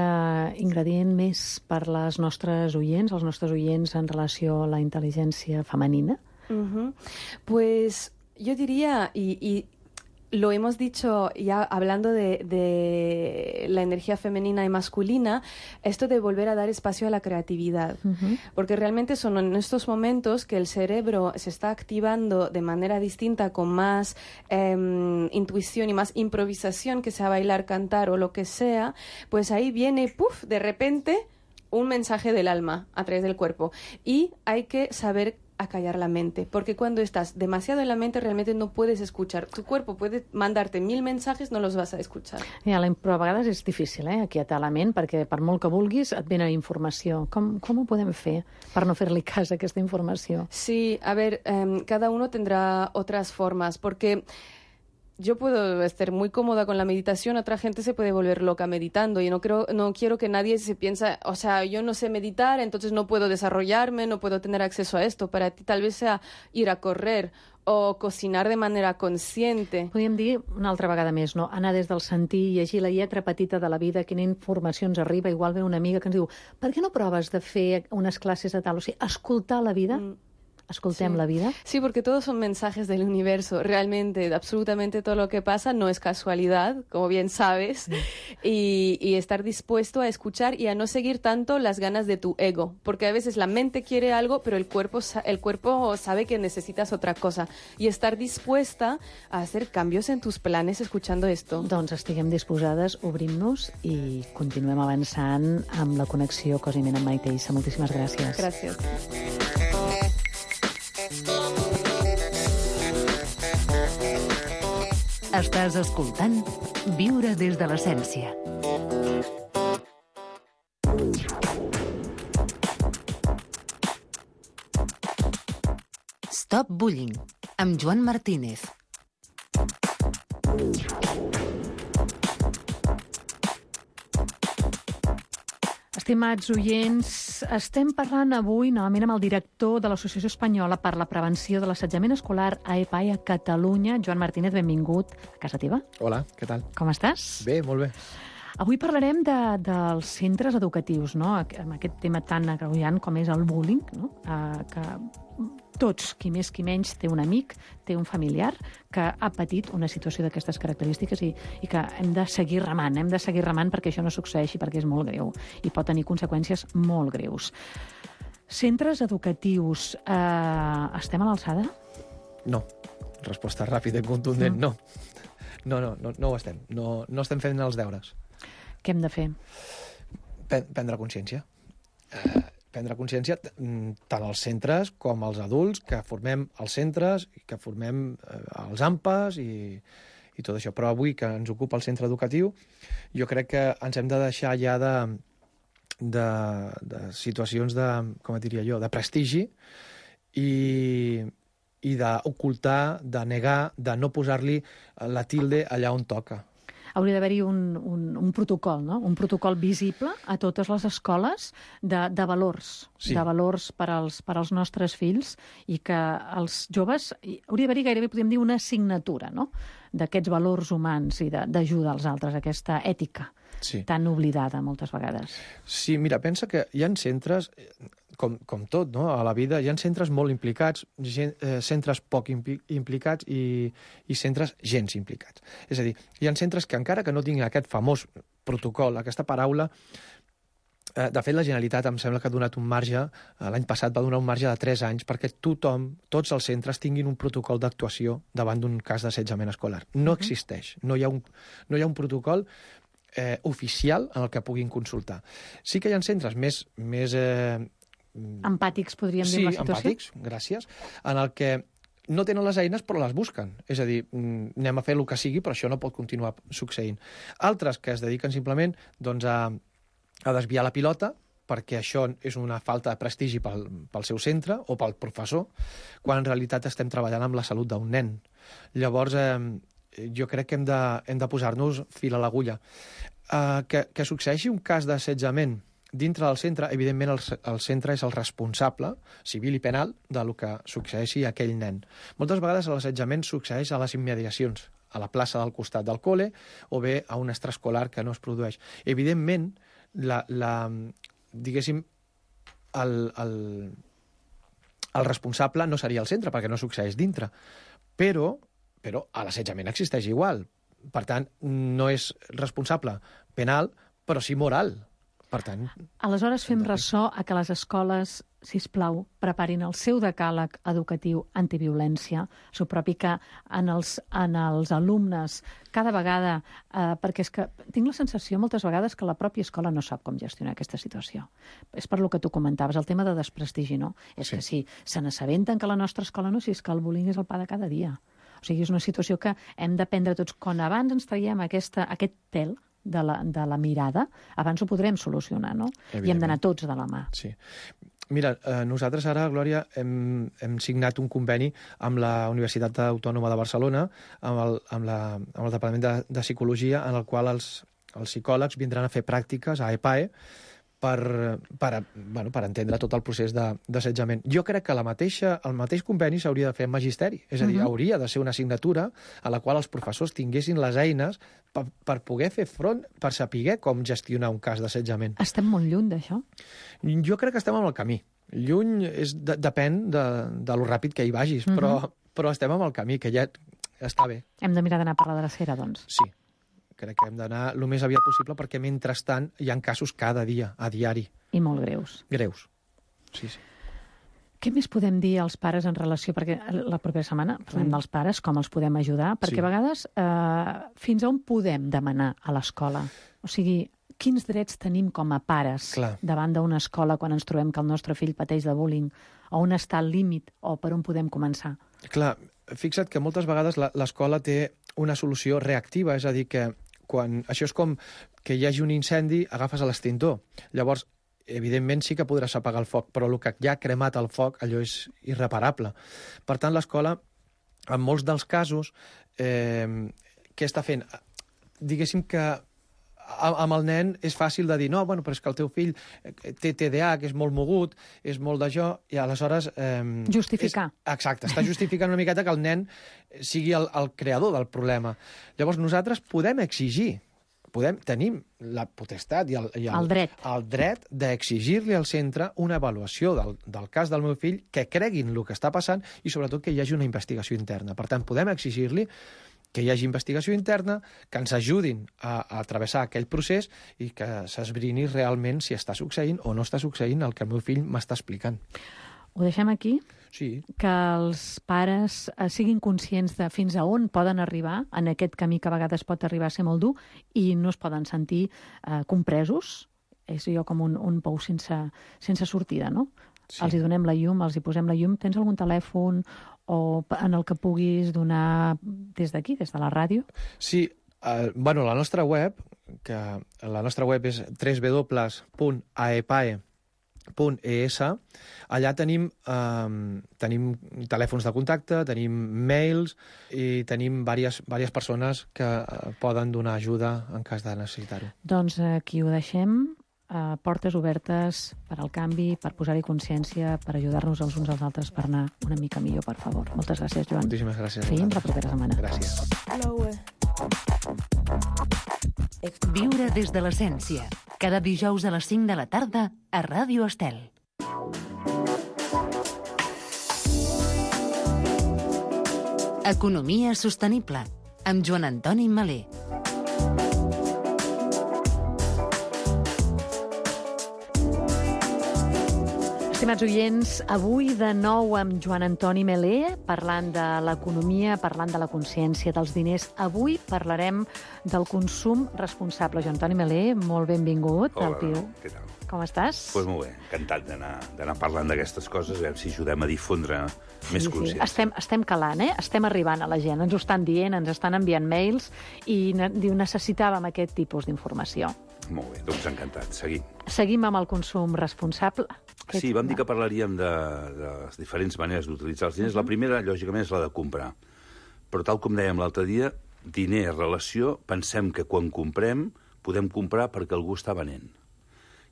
ingredient més per les nostres oients, els nostres oients en relació a la intel·ligència femenina? Ujú. Pues yo diría, y, y lo hemos dicho ya hablando de, de la energía femenina y masculina, esto de volver a dar espacio a la creatividad. Ujú. Porque realmente son en estos momentos que el cerebro se está activando de manera distinta, con más em, intuición y más improvisación, que sea bailar, cantar o lo que sea, pues ahí viene, puff, de repente un mensaje del alma a través del cuerpo. Y hay que saber acallar la mente, porque cuando estás demasiado en la mente realmente no puedes escuchar. Tu cuerpo puede mandarte mil mensajes, no los vas a escuchar. Ja, però a vegades és difícil, eh, aquietar la ment, perquè per molt que vulguis et venen informació. Com, com ho podem fer per no fer-li cas a aquesta informació? Sí, a ver, eh, cada uno tendrá otras formas, porque yo puedo estar muy cómoda con la meditación, otra gente se puede volver loca meditando y no creo, no quiero que nadie se piensa, o sea, yo no sé meditar, entonces no puedo desarrollarme, no puedo tener acceso a esto. Para ti tal vez sea ir a correr o cocinar de manera consciente. Podríem dir una altra vegada més, no? Anar des del sentir, llegir la lletra petita de la vida, quina informació ens arriba. Igual ve una amiga que ens diu, per què no proves de fer unes classes de tal? O sigui, escoltar la vida. Mm. Escoltem sí. la vida. Sí, porque todos son mensajes del universo. Realmente, absolutamente todo lo que pasa no es casualidad, como bien sabes. Sí. Y, y estar dispuesto a escuchar y a no seguir tanto las ganas de tu ego. Porque a veces la mente quiere algo, pero el cuerpo, el cuerpo sabe que necesitas otra cosa. Y estar dispuesta a hacer cambios en tus planes escuchando esto. Doncs estiguem disposades, obrim-nos i continuem avançant amb la connexió cos i ment amb Maite Issa. Moltíssimes gràcies. Gràcies. Estàs escoltant Viure des de l'essència. Stop Bullying, amb Joan Martínez. Estimats oients, estem parlant avui novament amb el director de l'Associació Espanyola per la Prevenció de l'Assetjament Escolar a EPAE a Catalunya. Joan Martínez, benvingut a casa teva. Hola, què tal? Com estàs? Bé, molt bé. Avui parlarem de, dels centres educatius, no? Amb aquest tema tan agreujant com és el bullying, no? Uh, que tots, qui més qui menys, té un amic, té un familiar que ha patit una situació d'aquestes característiques i, i que hem de seguir remant, hem de seguir remant perquè això no succeeixi, perquè és molt greu i pot tenir conseqüències molt greus. Centres educatius, eh, estem a l'alçada? No. Resposta ràpida i contundent, no. No, no, no, no ho estem. No, no estem fent els deures. Què hem de fer? Prendre consciència. Eh, prendre consciència tant als centres com als adults que formem els centres i que formem eh, els AMPAs i, i tot això. Però avui que ens ocupa el centre educatiu, jo crec que ens hem de deixar ja de, de, de situacions de, com et diria jo, de prestigi i, i d'ocultar, de negar, de no posar-li la tilde allà on toca. Hauria d'haver-hi un, un, un protocol, no? Un protocol visible a totes les escoles de, de valors, sí. de valors per als, per als nostres fills i que els joves... Hauria d'haver-hi gairebé, podríem dir, una assignatura, no?, d'aquests valors humans i d'ajudar als altres, aquesta ètica sí. tan oblidada moltes vegades. Sí, mira, pensa que hi ha centres... Com, com tot, no? A la vida hi ha centres molt implicats, gent, eh, centres poc impli implicats i, i centres gens implicats. És a dir, hi ha centres que encara que no tinguin aquest famós protocol, aquesta paraula, eh, de fet la Generalitat em sembla que ha donat un marge, eh, l'any passat va donar un marge de tres anys perquè tothom, tots els centres tinguin un protocol d'actuació davant d'un cas d'assetjament escolar. No uh-huh. existeix, no hi ha un, no hi ha un protocol eh, oficial en el que puguin consultar. Sí que hi ha centres més... més eh, empàtics, podríem dir, sí, la situació? Sí, empàtics, gràcies, en el que no tenen les eines però les busquen. És a dir, anem a fer el que sigui, però això no pot continuar succeint. Altres que es dediquen simplement doncs, a, a desviar la pilota, perquè això és una falta de prestigi pel, pel seu centre o pel professor, quan en realitat estem treballant amb la salut d'un nen. Llavors, eh, jo crec que hem de, hem de posar-nos fil a l'agulla. Eh, que, que succeeixi un cas d'assetjament dintre del centre, evidentment el, el centre és el responsable, civil i penal, de lo que succeeixi a aquell nen. Moltes vegades l'assetjament succeeix a les immediacions, a la plaça del costat del col·le o bé a un extraescolar que no es produeix. Evidentment, la, la, diguéssim, el, el, el responsable no seria el centre, perquè no succeeix dintre, però, però l'assetjament existeix igual. Per tant, no és responsable penal, però sí moral. Per tant... Aleshores fem ressò a que les escoles, sisplau, preparin el seu decàleg educatiu antiviolència, el seu propi que en els, en els alumnes cada vegada, eh, perquè és que tinc la sensació moltes vegades que la pròpia escola no sap com gestionar aquesta situació. És per lo que tu comentaves, el tema de desprestigi, no? És sí. que si se n'assabenten que la nostra escola no, si és que el bullying és el pa de cada dia. O sigui, és una situació que hem d'aprendre tots. Quan abans ens traiem aquesta, aquest pèl de la, de la mirada, abans ho podrem solucionar, no? I hem d'anar tots de la mà. Sí. Mira, eh, nosaltres ara, Glòria, hem, hem signat un conveni amb la Universitat Autònoma de Barcelona, amb el, amb la, amb el Departament de, de Psicologia, en el qual els, els psicòlegs vindran a fer pràctiques a EPAE per, per, bueno, per entendre tot el procés d'assetjament. Jo crec que la mateixa, el mateix conveni s'hauria de fer en magisteri. És a dir, uh -huh. hauria de ser una assignatura a la qual els professors tinguessin les eines per, per poder fer front, per saber com gestionar un cas d'assetjament. Estem molt lluny d'això? Jo crec que estem en el camí. Lluny és, de, depèn de, de lo ràpid que hi vagis, uh -huh. però, però estem en el camí, que ja està bé. Hem de mirar d'anar per la drecera, doncs. Sí. Crec que hem d'anar el més aviat possible perquè, mentrestant, hi ha casos cada dia, a diari. I molt greus. Greus, sí, sí. Què més podem dir als pares en relació... Perquè la propera setmana parlem mm. dels pares, com els podem ajudar, perquè sí. a vegades eh, fins a on podem demanar a l'escola? O sigui, quins drets tenim com a pares Clar. davant d'una escola quan ens trobem que el nostre fill pateix de bullying? On està el límit o per on podem començar? Clar, fixa't que moltes vegades l'escola té una solució reactiva, és a dir, que quan això és com que hi hagi un incendi, agafes l'extintor. Llavors, evidentment sí que podràs apagar el foc, però el que ja ha cremat el foc, allò és irreparable. Per tant, l'escola, en molts dels casos, eh, què està fent? Diguéssim que amb el nen és fàcil de dir no, bueno, però és que el teu fill té T D A H, que és molt mogut, és molt d'això, i aleshores... Eh, Justificar. És, exacte, està justificant una miqueta que el nen sigui el, el creador del problema. Llavors nosaltres podem exigir, podem, tenim la potestat i el, i el, el dret, el dret d'exigir-li al centre una avaluació del, del cas del meu fill, que creguin el que està passant i sobretot que hi hagi una investigació interna. Per tant, podem exigir-li que hi hagi investigació interna, que ens ajudin a, a travessar aquell procés i que s'esbrini realment si està succeint o no està succeint el que el meu fill m'està explicant. Ho deixem aquí? Sí. Que els pares eh, siguin conscients de fins a on poden arribar en aquest camí que a vegades pot arribar a ser molt dur i no es poden sentir eh, compresos. És allò com un, un pou sense, sense sortida, no? Sí. Els hi donem la llum, els hi posem la llum. Tens algun telèfon o en el que puguis donar des d'aquí, des de la ràdio? Sí, eh, bueno, la nostra web, que la nostra web és w w w punt a e p a e punt e s, allà tenim, eh, tenim telèfons de contacte, tenim mails i tenim diverses, diverses persones que eh, poden donar ajuda en cas de necessitar-ho. Doncs aquí ho deixem. Uh, portes obertes per al canvi, per posar-hi consciència, per ajudar-nos els uns als altres per anar una mica millor, per favor. Moltes gràcies, Joan. Moltíssimes gràcies. Fins la propera setmana. Gràcies. Viure des de l'essència. Cada dijous a les cinc de la tarda a Ràdio Estel. Economia sostenible amb Joan Antoni Malé. Estimats oients, avui de nou amb Joan Antoni Melé, parlant de l'economia, parlant de la consciència dels diners. Avui parlarem del consum responsable. Joan Antoni Melé, molt benvingut. Hola, al Piu. què tal? Com estàs? Doncs pues molt bé, encantat d'anar parlant d'aquestes coses, a veure si ajudem a difondre sí, més sí. consciència. Estem, estem calant, eh? Estem arribant a la gent, ens ho estan dient, ens estan enviant mails i ne diu necessitàvem aquest tipus d'informació. Molt bé, doncs encantat, seguim. Seguim amb el consum responsable. Sí, vam dir que parlaríem de, de les diferents maneres d'utilitzar els diners. Uh -huh. La primera, lògicament, és la de comprar. Però tal com dèiem l'altre dia, diner, relació, pensem que quan comprem podem comprar perquè algú està venent.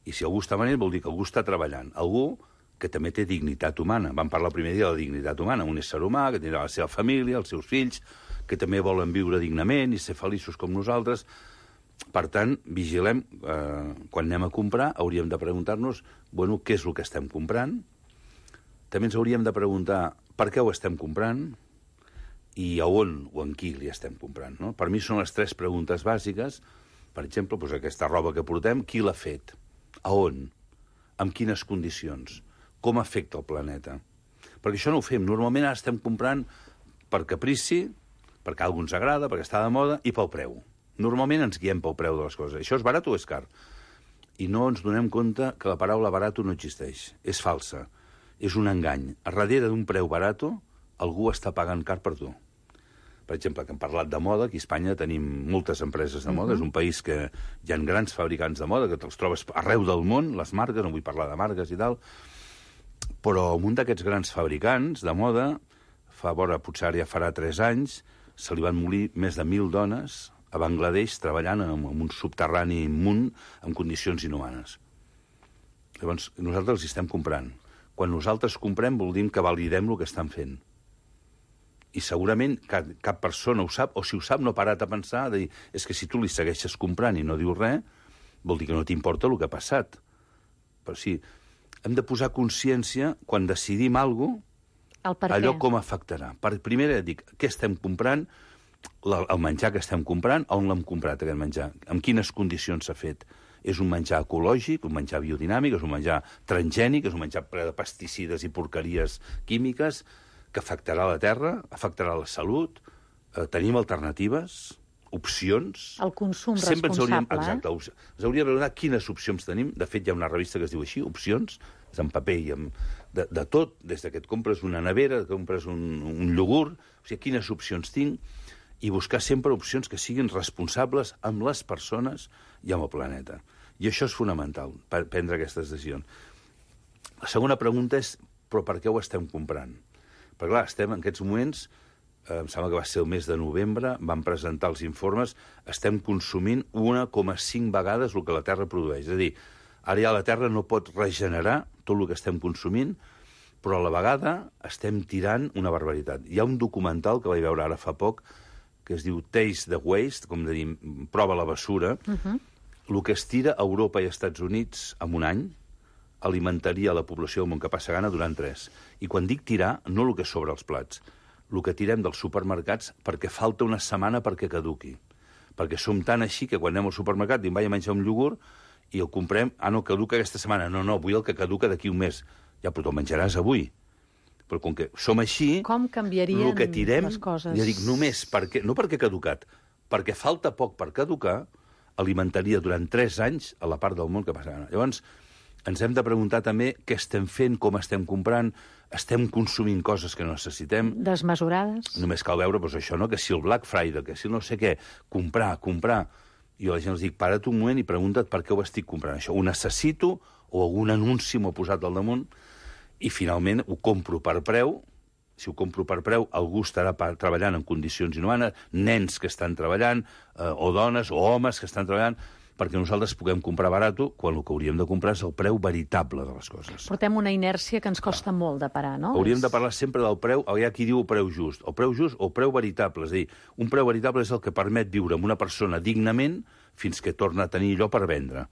I si algú està venent vol dir que algú està treballant. Algú que també té dignitat humana. Vam parlar el primer dia de la dignitat humana. Un ésser humà que tindrà la seva família, els seus fills, que també volen viure dignament i ser feliços com nosaltres. Per tant, vigilem, eh, quan anem a comprar, hauríem de preguntar-nos, bueno, què és el que estem comprant? També ens hauríem de preguntar per què ho estem comprant i a on o en qui li estem comprant, no? Per mi són les tres preguntes bàsiques. Per exemple, doncs aquesta roba que portem, qui l'ha fet? A on? En quines condicions? Com afecta el planeta? Perquè això no ho fem. Normalment ara estem comprant per caprici, perquè a algú ens agrada, perquè està de moda, i pel preu. Normalment ens guiem pel preu de les coses. Això és barat o és car? I no ens donem compte que la paraula barato no existeix. És falsa. És un engany. A darrere d'un preu barato, algú està pagant car per tu. Per exemple, que hem parlat de moda, aquí a Espanya tenim moltes empreses de moda, uh-huh. És un país que hi ha grans fabricants de moda, que te'ls trobes arreu del món, les marques, no vull parlar de marques i tal, però un d'aquests grans fabricants de moda, fa vora, potser ja farà tres anys, se li van morir més de mil dones a Bangladesh treballant en un subterrani immunt en condicions inhumanes. Llavors, nosaltres els estem comprant. Quan nosaltres comprem vol dir que validem el que estan fent. I segurament cap, cap persona ho sap, o si ho sap no ha parat a pensar, de dir, és que si tu li segueixes comprant i no dius res, vol dir que no t'importa el que ha passat. Però sí, hem de posar consciència, quan decidim alguna cosa, allò com afectarà. Per primera dic, què estem comprant, el menjar que estem comprant, on l'hem comprat aquest menjar, en quines condicions s'ha fet. És un menjar ecològic, un menjar biodinàmic, és un menjar transgènic, és un menjar ple de pesticides i porqueries químiques que afectarà la terra, afectarà la salut, eh, tenim alternatives, opcions... El consum Sempre responsable. Ens hauríem, exacte, ens hauríem de preguntar quines opcions tenim. De fet, hi ha una revista que es diu així, Opcions, és en paper i en, de, de tot, des que et compres una nevera, que compres un, un iogurt, o sigui, quines opcions tinc, i buscar sempre opcions que siguin responsables amb les persones i amb el planeta. I això és fonamental, per prendre aquestes decisions. La segona pregunta és, però per què ho estem comprant? Perquè, clar, estem en aquests moments, eh, em sembla que va ser el mes de novembre, van presentar els informes, estem consumint un coma cinc vegades el que la Terra produeix. És a dir, ara ja la Terra no pot regenerar tot el que estem consumint, però a la vegada estem tirant una barbaritat. Hi ha un documental que vaig veure ara fa poc, que es diu Taste the Waste, com de dir, prova la bessura. Uh-huh. El que es tira a Europa i als Estats Units en un any alimentaria la població del món que passa gana durant tres. I quan dic tirar, no el que sobra als plats, el que tirem dels supermercats perquè falta una setmana perquè caduqui. Perquè som tan així que quan anem al supermercat dic, vaig a menjar un iogurt i el comprem, ah, no, caduca aquesta setmana. No, no, vull el que caduca d'aquí un mes. Ja, però te'l menjaràs avui. Però com que som així, com canviarien el que tirem, les coses? Ja dic, només perquè, no perquè ha caducat, perquè falta poc per caducar, alimentaria durant tres anys a la part del món que passa. Llavors, ens hem de preguntar també què estem fent, com estem comprant, estem consumint coses que no necessitem. Desmesurades. Només cal veure, doncs això, no?, que si el Black Friday, que si no sé què, comprar, comprar... Jo a la gent els dic, para't un moment i pregunta't per què ho estic comprant, això. Ho necessito o algun anunci m'ho ha posat al damunt i finalment ho compro per preu. Si ho compro per preu, algú estarà treballant en condicions inhumanes, nens que estan treballant, eh, o dones o homes que estan treballant, perquè nosaltres puguem comprar barato quan el que hauríem de comprar és el preu veritable de les coses. Portem una inèrcia que ens costa ah. molt de parar, no? Hauríem de parlar sempre del preu, hi ha qui diu el preu just, el preu just o el preu veritable, és a dir, un preu veritable és el que permet viure amb una persona dignament fins que torna a tenir allò per vendre.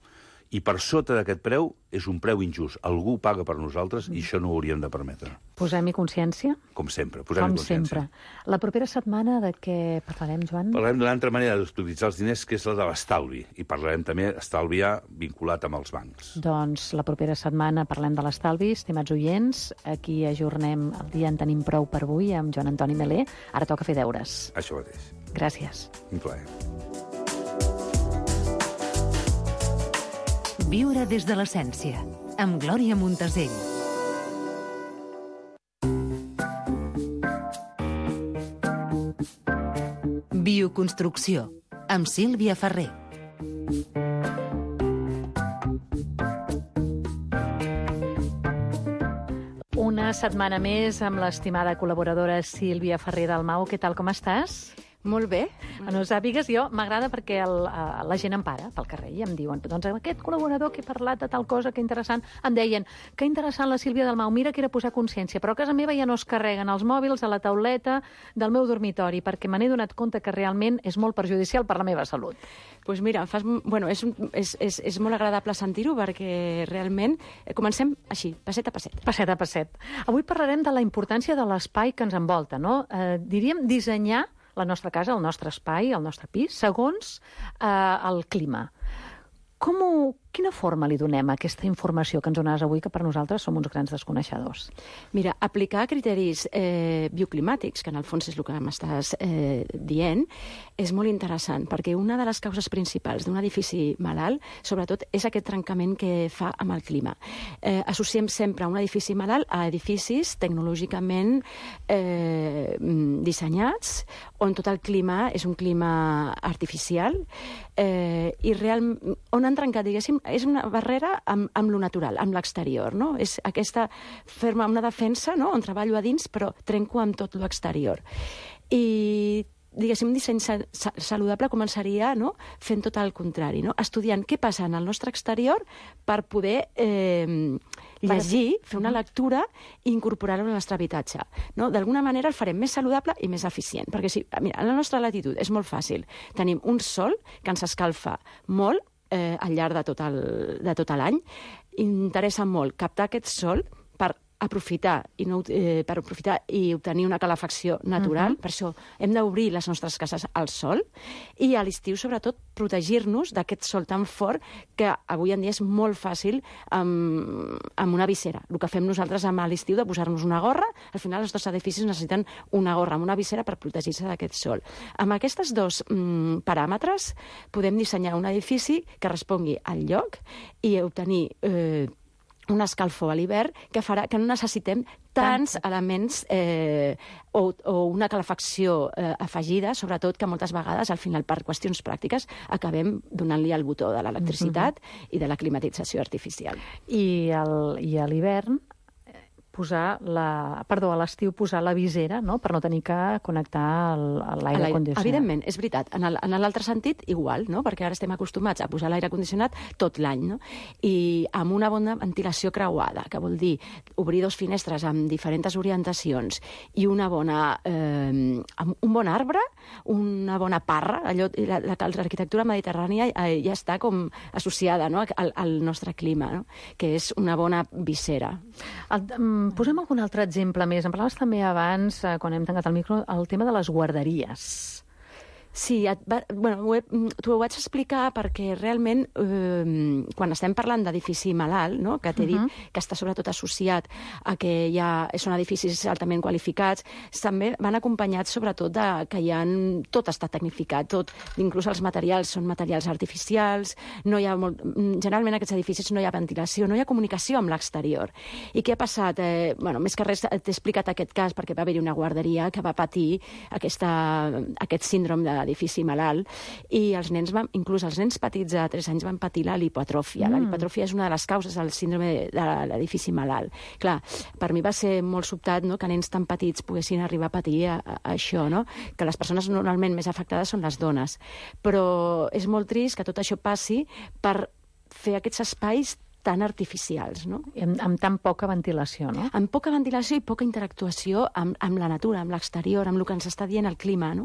I per sota d'aquest preu és un preu injust. Algú paga per nosaltres i això no ho hauríem de permetre. Posem-hi consciència? Com sempre, posem-hi consciència. Com sempre. La propera setmana de què parlarem, Joan? Parlarem d'una altra manera d'utilitzar els diners, que és la de l'estalvi. I parlarem també d'estalviar vinculat amb els bancs. Doncs la propera setmana parlem de l'estalvi, estimats oients. Aquí ajornem el dia en tenim prou per avui amb Joan Antoni Melé. Ara toca fer deures. Això mateix. Gràcies. Un plaer. Viure des de l'essència, amb Glòria Montesell. Bioconstrucció, amb Sílvia Ferrer. Una setmana més amb l'estimada col·laboradora Sílvia Ferrer Dalmau. Què tal, com estàs? Molt bé. No sàpigues, jo m'agrada perquè el, la gent em para pel carrer i em diuen, doncs aquest col·laborador que ha parlat de tal cosa, que interessant, em deien, que interessant la Sílvia Dalmau, mira que era posar consciència, però a casa meva ja no es carreguen els mòbils a la tauleta del meu dormitori, perquè me n'he donat compte que realment és molt perjudicial per la meva salut. Doncs pues mira, fas, bueno, és, és, és, és molt agradable sentir-ho perquè realment comencem així, passet a passet. Passet a passet. Avui parlarem de la importància de l'espai que ens envolta, no? Eh, diríem dissenyar la nostra casa, el nostre espai, el nostre pis, segons eh, el clima. Com ho, quina forma li donem a aquesta informació que ens dones avui, que per nosaltres som uns grans desconeixedors? Mira, aplicar criteris eh, bioclimàtics, que en el fons és el que m'estàs eh, dient, és molt interessant, perquè una de les causes principals d'un edifici malalt, sobretot, és aquest trencament que fa amb el clima. Eh, associem sempre un edifici malalt a edificis tecnològicament eh, dissenyats, on tot el clima és un clima artificial, eh, i real, on han trencat, diguéssim, és una barrera amb, amb lo natural, amb l'exterior, no? És aquesta ferma, una defensa, no?, on treballo a dins, però trenco amb tot l'exterior. I diguéssim, un disseny saludable començaria, no?, fent tot el contrari, no?, estudiant què passa en el nostre exterior per poder eh, llegir, fer una lectura i incorporar-ho al nostre habitatge. No? D'alguna manera el farem més saludable i més eficient, perquè si, mira, en la nostra latitud és molt fàcil. Tenim un sol que ens escalfa molt eh, al llarg de tot el, de tot l'any. Interessa molt captar aquest sol per aprofitar i, no, eh, per aprofitar i obtenir una calefacció natural. Uh-huh. Per això hem d'obrir les nostres cases al sol i a l'estiu, sobretot, protegir-nos d'aquest sol tan fort que avui en dia és molt fàcil amb, amb una visera. El que fem nosaltres amb l'estiu de posar-nos una gorra, al final els dos edificis necessiten una gorra amb una visera per protegir-se d'aquest sol. Amb aquests dos mm, paràmetres podem dissenyar un edifici que respongui al lloc i obtenir eh, un escalfor a l'hivern que farà que no necessitem tants elements eh, o, o una calefacció eh, afegida, sobretot que moltes vegades, al final, per qüestions pràctiques, acabem donant-li el botó de l'electricitat mm-hmm. i de la climatització artificial. I, el, i a l'hivern posar la, perdó, a l'estiu posar la visera, no?, per no tenir que connectar l'aire condicionat. Evidentment, és veritat. En l'altre sentit, igual, no?, perquè ara estem acostumats a posar l'aire condicionat tot l'any, no?, i amb una bona ventilació creuada, que vol dir obrir dos finestres amb diferents orientacions i una bona, eh, un bon arbre, una bona parra, allò, l'arquitectura mediterrània ja està com associada, no?, al, al nostre clima, no?, que és una bona visera. El, Posem algun altre exemple més. En parlaves també abans, eh, quan hem tancat el micro, el tema de les guarderies. Sí, et va, bueno, t'ho ho vaig explicar perquè realment eh, quan estem parlant d'edifici malalt, no?, que t'he uh-huh. dit que està sobretot associat a que ja són edificis altament qualificats, també van acompanyats sobretot de que hi ha, tot està tecnificat, tot, inclús els materials són materials artificials, no hi ha molt, generalment en aquests edificis no hi ha ventilació, no hi ha comunicació amb l'exterior. I què ha passat? Eh, bueno, més que res t'he explicat aquest cas perquè va haver-hi una guarderia que va patir aquesta, aquest síndrome de edifici malalt, i els nens van, inclús els nens petits de tres anys van patir la lipoatròfia. Mm. La lipoatròfia és una de les causes del síndrome de l'edifici malalt. Clar, per mi va ser molt sobtat, no?, que nens tan petits poguessin arribar a patir a, a, a això, no?, que les persones normalment més afectades són les dones. Però és molt trist que tot això passi per fer aquests espais tan artificials, no? I amb, amb tan poca ventilació, no? Amb poca ventilació i poca interactuació amb, amb la natura, amb l'exterior, amb el que ens està dient el clima, no?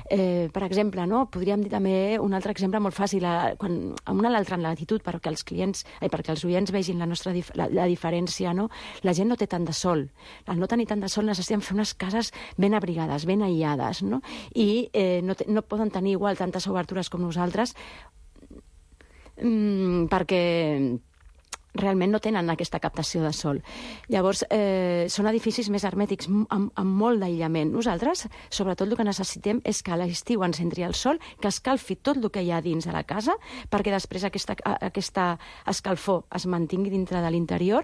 Eh, per exemple, no?, podríem dir també un altre exemple molt fàcil, a, quan, a una a l'altra latitud, perquè els clients, eh, perquè els oients vegin la nostra dif la, la diferència, no? La gent no té tant de sol. Al no tenir tant de sol necessitem fer unes cases ben abrigades, ben aïllades, no? I eh, no, no poden tenir igual tantes obertures com nosaltres mm, perquè realment no tenen aquesta captació de sol. Llavors, eh, són edificis més hermètics, amb, amb molt d'aïllament. Nosaltres, sobretot, el que necessitem és que a l'estiu ens entri el sol, que escalfi tot el que hi ha dins de la casa, perquè després aquesta, aquesta escalfor es mantingui dintre de l'interior,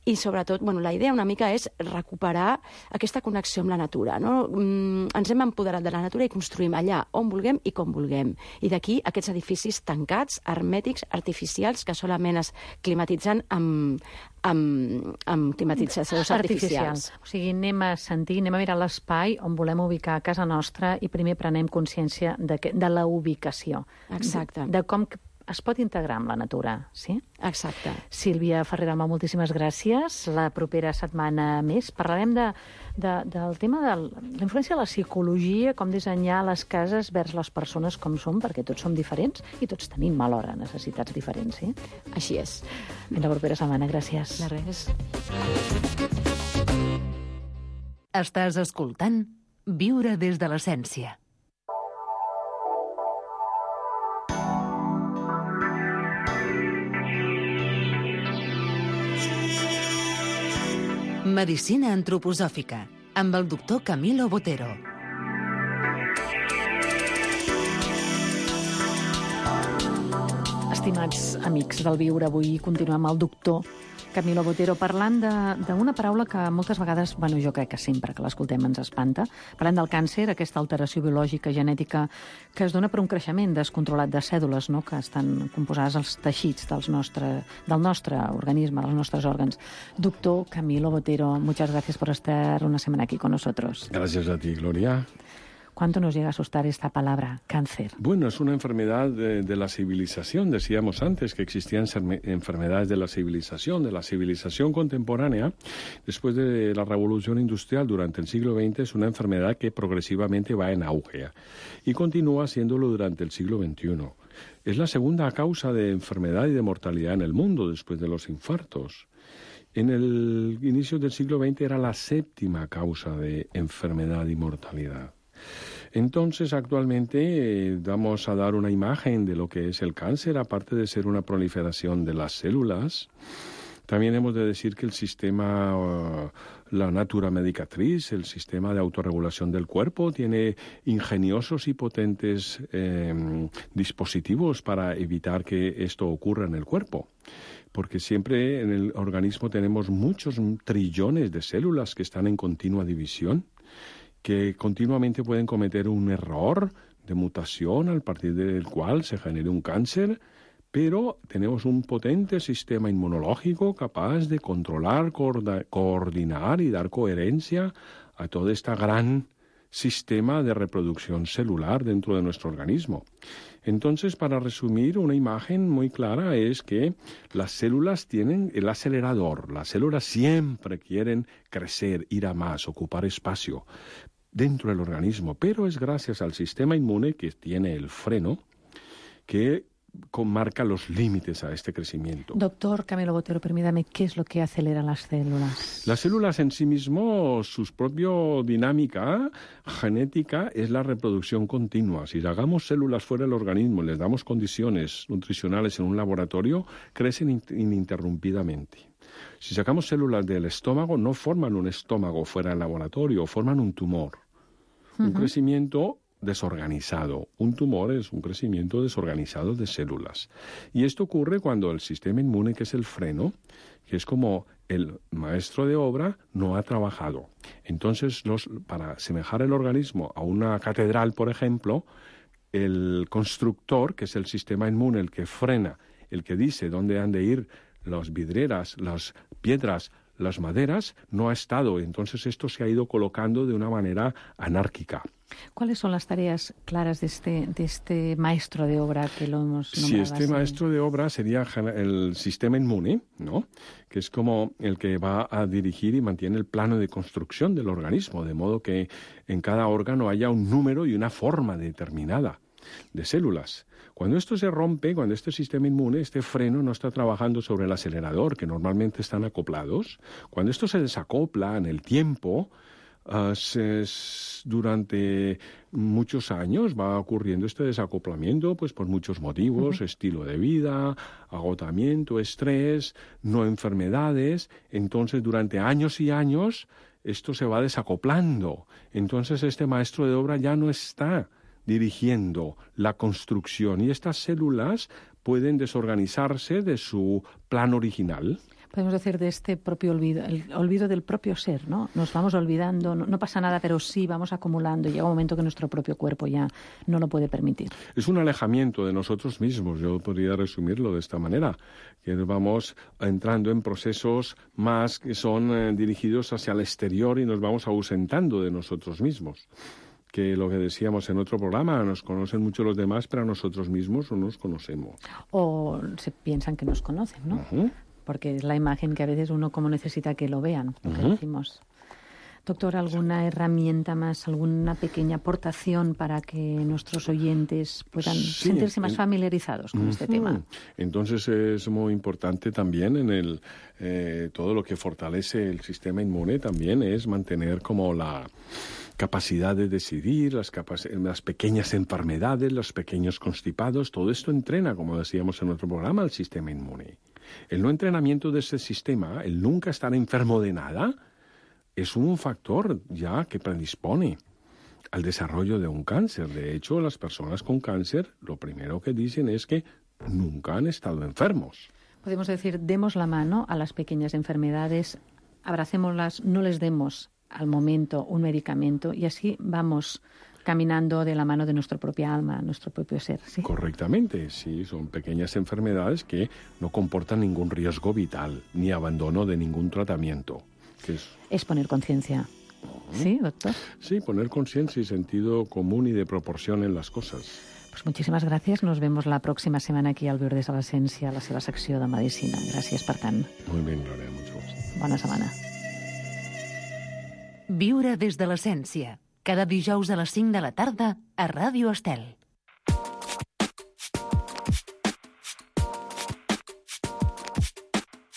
i sobretot, bueno, la idea una mica és recuperar aquesta connexió amb la natura, no? Mm, ens hem empoderat de la natura i construïm allà on vulguem i com vulguem. I d'aquí aquests edificis tancats, hermètics, artificials, que solament es climatitzen amb, amb, amb climatitzacions artificials. Artificial. O sigui, anem a sentir, anem a mirar l'espai on volem ubicar a casa nostra i primer prenem consciència de, que, de la ubicació. Exacte. De, de com es pot integrar amb la natura, sí? Exacte. Sílvia Ferrer-Dalmau, moltíssimes gràcies. La propera setmana més parlarem de, de, del tema de la influència de la psicologia, com dissenyar les cases vers les persones com som, perquè tots som diferents i tots tenim alhora necessitats diferents, sí? Així és. Fins la propera setmana, gràcies. De res. Estàs escoltant Viure des de l'essència. Medicina antroposòfica, amb el doctor Camilo Botero. Estimats amics del Viure, avui continuem amb el doctor Camilo Botero parlant d'una paraula que moltes vegades, bueno, jo crec que sempre que l'escoltem ens espanta. Parlem del càncer, aquesta alteració biològica, genètica, que es dona per un creixement descontrolat de cèl·lules, no?, que estan composades als teixits dels nostre, del nostre organisme, dels nostres òrgans. Doctor Camilo Botero, muchas gracias por estar una semana aquí con nosotros. Gracias a ti, Gloria. ¿Cuánto nos llega a asustar esta palabra, cáncer? Bueno, es una enfermedad de, de la civilización. Decíamos antes que existían enfermedades de la civilización, de la civilización contemporánea. Después de la revolución industrial durante el siglo veinte, es una enfermedad que progresivamente va en auge y continúa siéndolo durante el siglo veintiuno. Es la segunda causa de enfermedad y de mortalidad en el mundo después de los infartos. En el inicio del siglo veinte era la séptima causa de enfermedad y mortalidad. Entonces, actualmente eh, vamos a dar una imagen de lo que es el cáncer, aparte de ser una proliferación de las células. También hemos de decir que el sistema, uh, la natura medicatriz, el sistema de autorregulación del cuerpo, tiene ingeniosos y potentes eh, dispositivos para evitar que esto ocurra en el cuerpo. Porque siempre en el organismo tenemos muchos trillones de células que están en continua división, que continuamente pueden cometer un error de mutación a partir del cual se genere un cáncer, pero tenemos un potente sistema inmunológico capaz de controlar, coordinar y dar coherencia a todo este gran sistema de reproducción celular dentro de nuestro organismo. Entonces, para resumir, una imagen muy clara es que las células tienen el acelerador. Las células siempre quieren crecer, ir a más, ocupar espacio dentro del organismo, pero es gracias al sistema inmune que tiene el freno que marca los límites a este crecimiento. Doctor Camilo Botero, permítame, ¿qué es lo que acelera las células? Las células en sí mismo, su propia dinámica genética es la reproducción continua. Si sacamos células fuera del organismo y les damos condiciones nutricionales en un laboratorio, crecen ininterrumpidamente. Si sacamos células del estómago, no forman un estómago fuera del laboratorio, forman un tumor. Uh-huh. Un crecimiento desorganizado. Un tumor es un crecimiento desorganizado de células. Y esto ocurre cuando el sistema inmune, que es el freno, que es como el maestro de obra, no ha trabajado. Entonces, los, para asemejar el organismo a una catedral, por ejemplo, el constructor, que es el sistema inmune, el que frena, el que dice dónde han de ir las vidrieras, las piedras, las maderas, no ha estado. Entonces esto se ha ido colocando de una manera anárquica. ¿Cuáles son las tareas claras de este, de este maestro de obra que lo hemos nombrado? Sí, este así? maestro de obra sería el sistema inmune, ¿no?, que es como el que va a dirigir y mantiene el plano de construcción del organismo, de modo que en cada órgano haya un número y una forma determinada de células. Cuando esto se rompe, cuando este sistema inmune, este freno no está trabajando sobre el acelerador, que normalmente están acoplados, cuando esto se desacopla en el tiempo, uh, se, durante muchos años va ocurriendo este desacoplamiento pues por muchos motivos, uh-huh. estilo de vida, agotamiento, estrés, no enfermedades. Entonces, durante años y años, esto se va desacoplando. Entonces, este maestro de obra ya no está dirigiendo la construcción y estas células pueden desorganizarse de su plan original. Podemos decir de este propio olvido, el olvido del propio ser, ¿no? Nos vamos olvidando, no, no pasa nada, pero sí vamos acumulando y llega un momento que nuestro propio cuerpo ya no lo puede permitir. Es un alejamiento de nosotros mismos, yo podría resumirlo de esta manera, que vamos entrando en procesos más que son eh, dirigidos hacia el exterior y nos vamos ausentando de nosotros mismos. Que lo que decíamos en otro programa, nos conocen mucho los demás, pero a nosotros mismos no nos conocemos. O se piensan que nos conocen, ¿no? Uh-huh. Porque es la imagen que a veces uno como necesita que lo vean, lo que uh-huh. decimos. Doctor, ¿alguna herramienta más, alguna pequeña aportación para que nuestros oyentes puedan sí, sentirse más en, familiarizados con uh-huh. este tema? Entonces es muy importante también en el eh, todo lo que fortalece el sistema inmune también es mantener como la capacidad de decidir, las, capac- las pequeñas enfermedades, los pequeños constipados, todo esto entrena, como decíamos en otro programa, el sistema inmune. El no entrenamiento de ese sistema, el nunca estar enfermo de nada, es un factor ya que predispone al desarrollo de un cáncer. De hecho, las personas con cáncer lo primero que dicen es que nunca han estado enfermos. Podemos decir, demos la mano a las pequeñas enfermedades, abracémoslas, no les demos al momento un medicamento y así vamos caminando de la mano de nuestra propia alma, nuestro propio ser. ¿Sí? Correctamente, sí, son pequeñas enfermedades que no comportan ningún riesgo vital ni abandono de ningún tratamiento. Que es... es poner conciencia. ¿Sí, doctor? Sí, poner conciencia y sentido común y de proporción en las cosas. Pues muchísimes gràcies. Nos vemos la pròxima setmana aquí al Viure des de l'Essència, a la seva secció de Medicina. Gràcies per tant. Muy bien, Gloria, mucho gusto. Bona setmana. Viure des de l'Essència. Cada dijous a les cinc de la tarda a Ràdio Estel.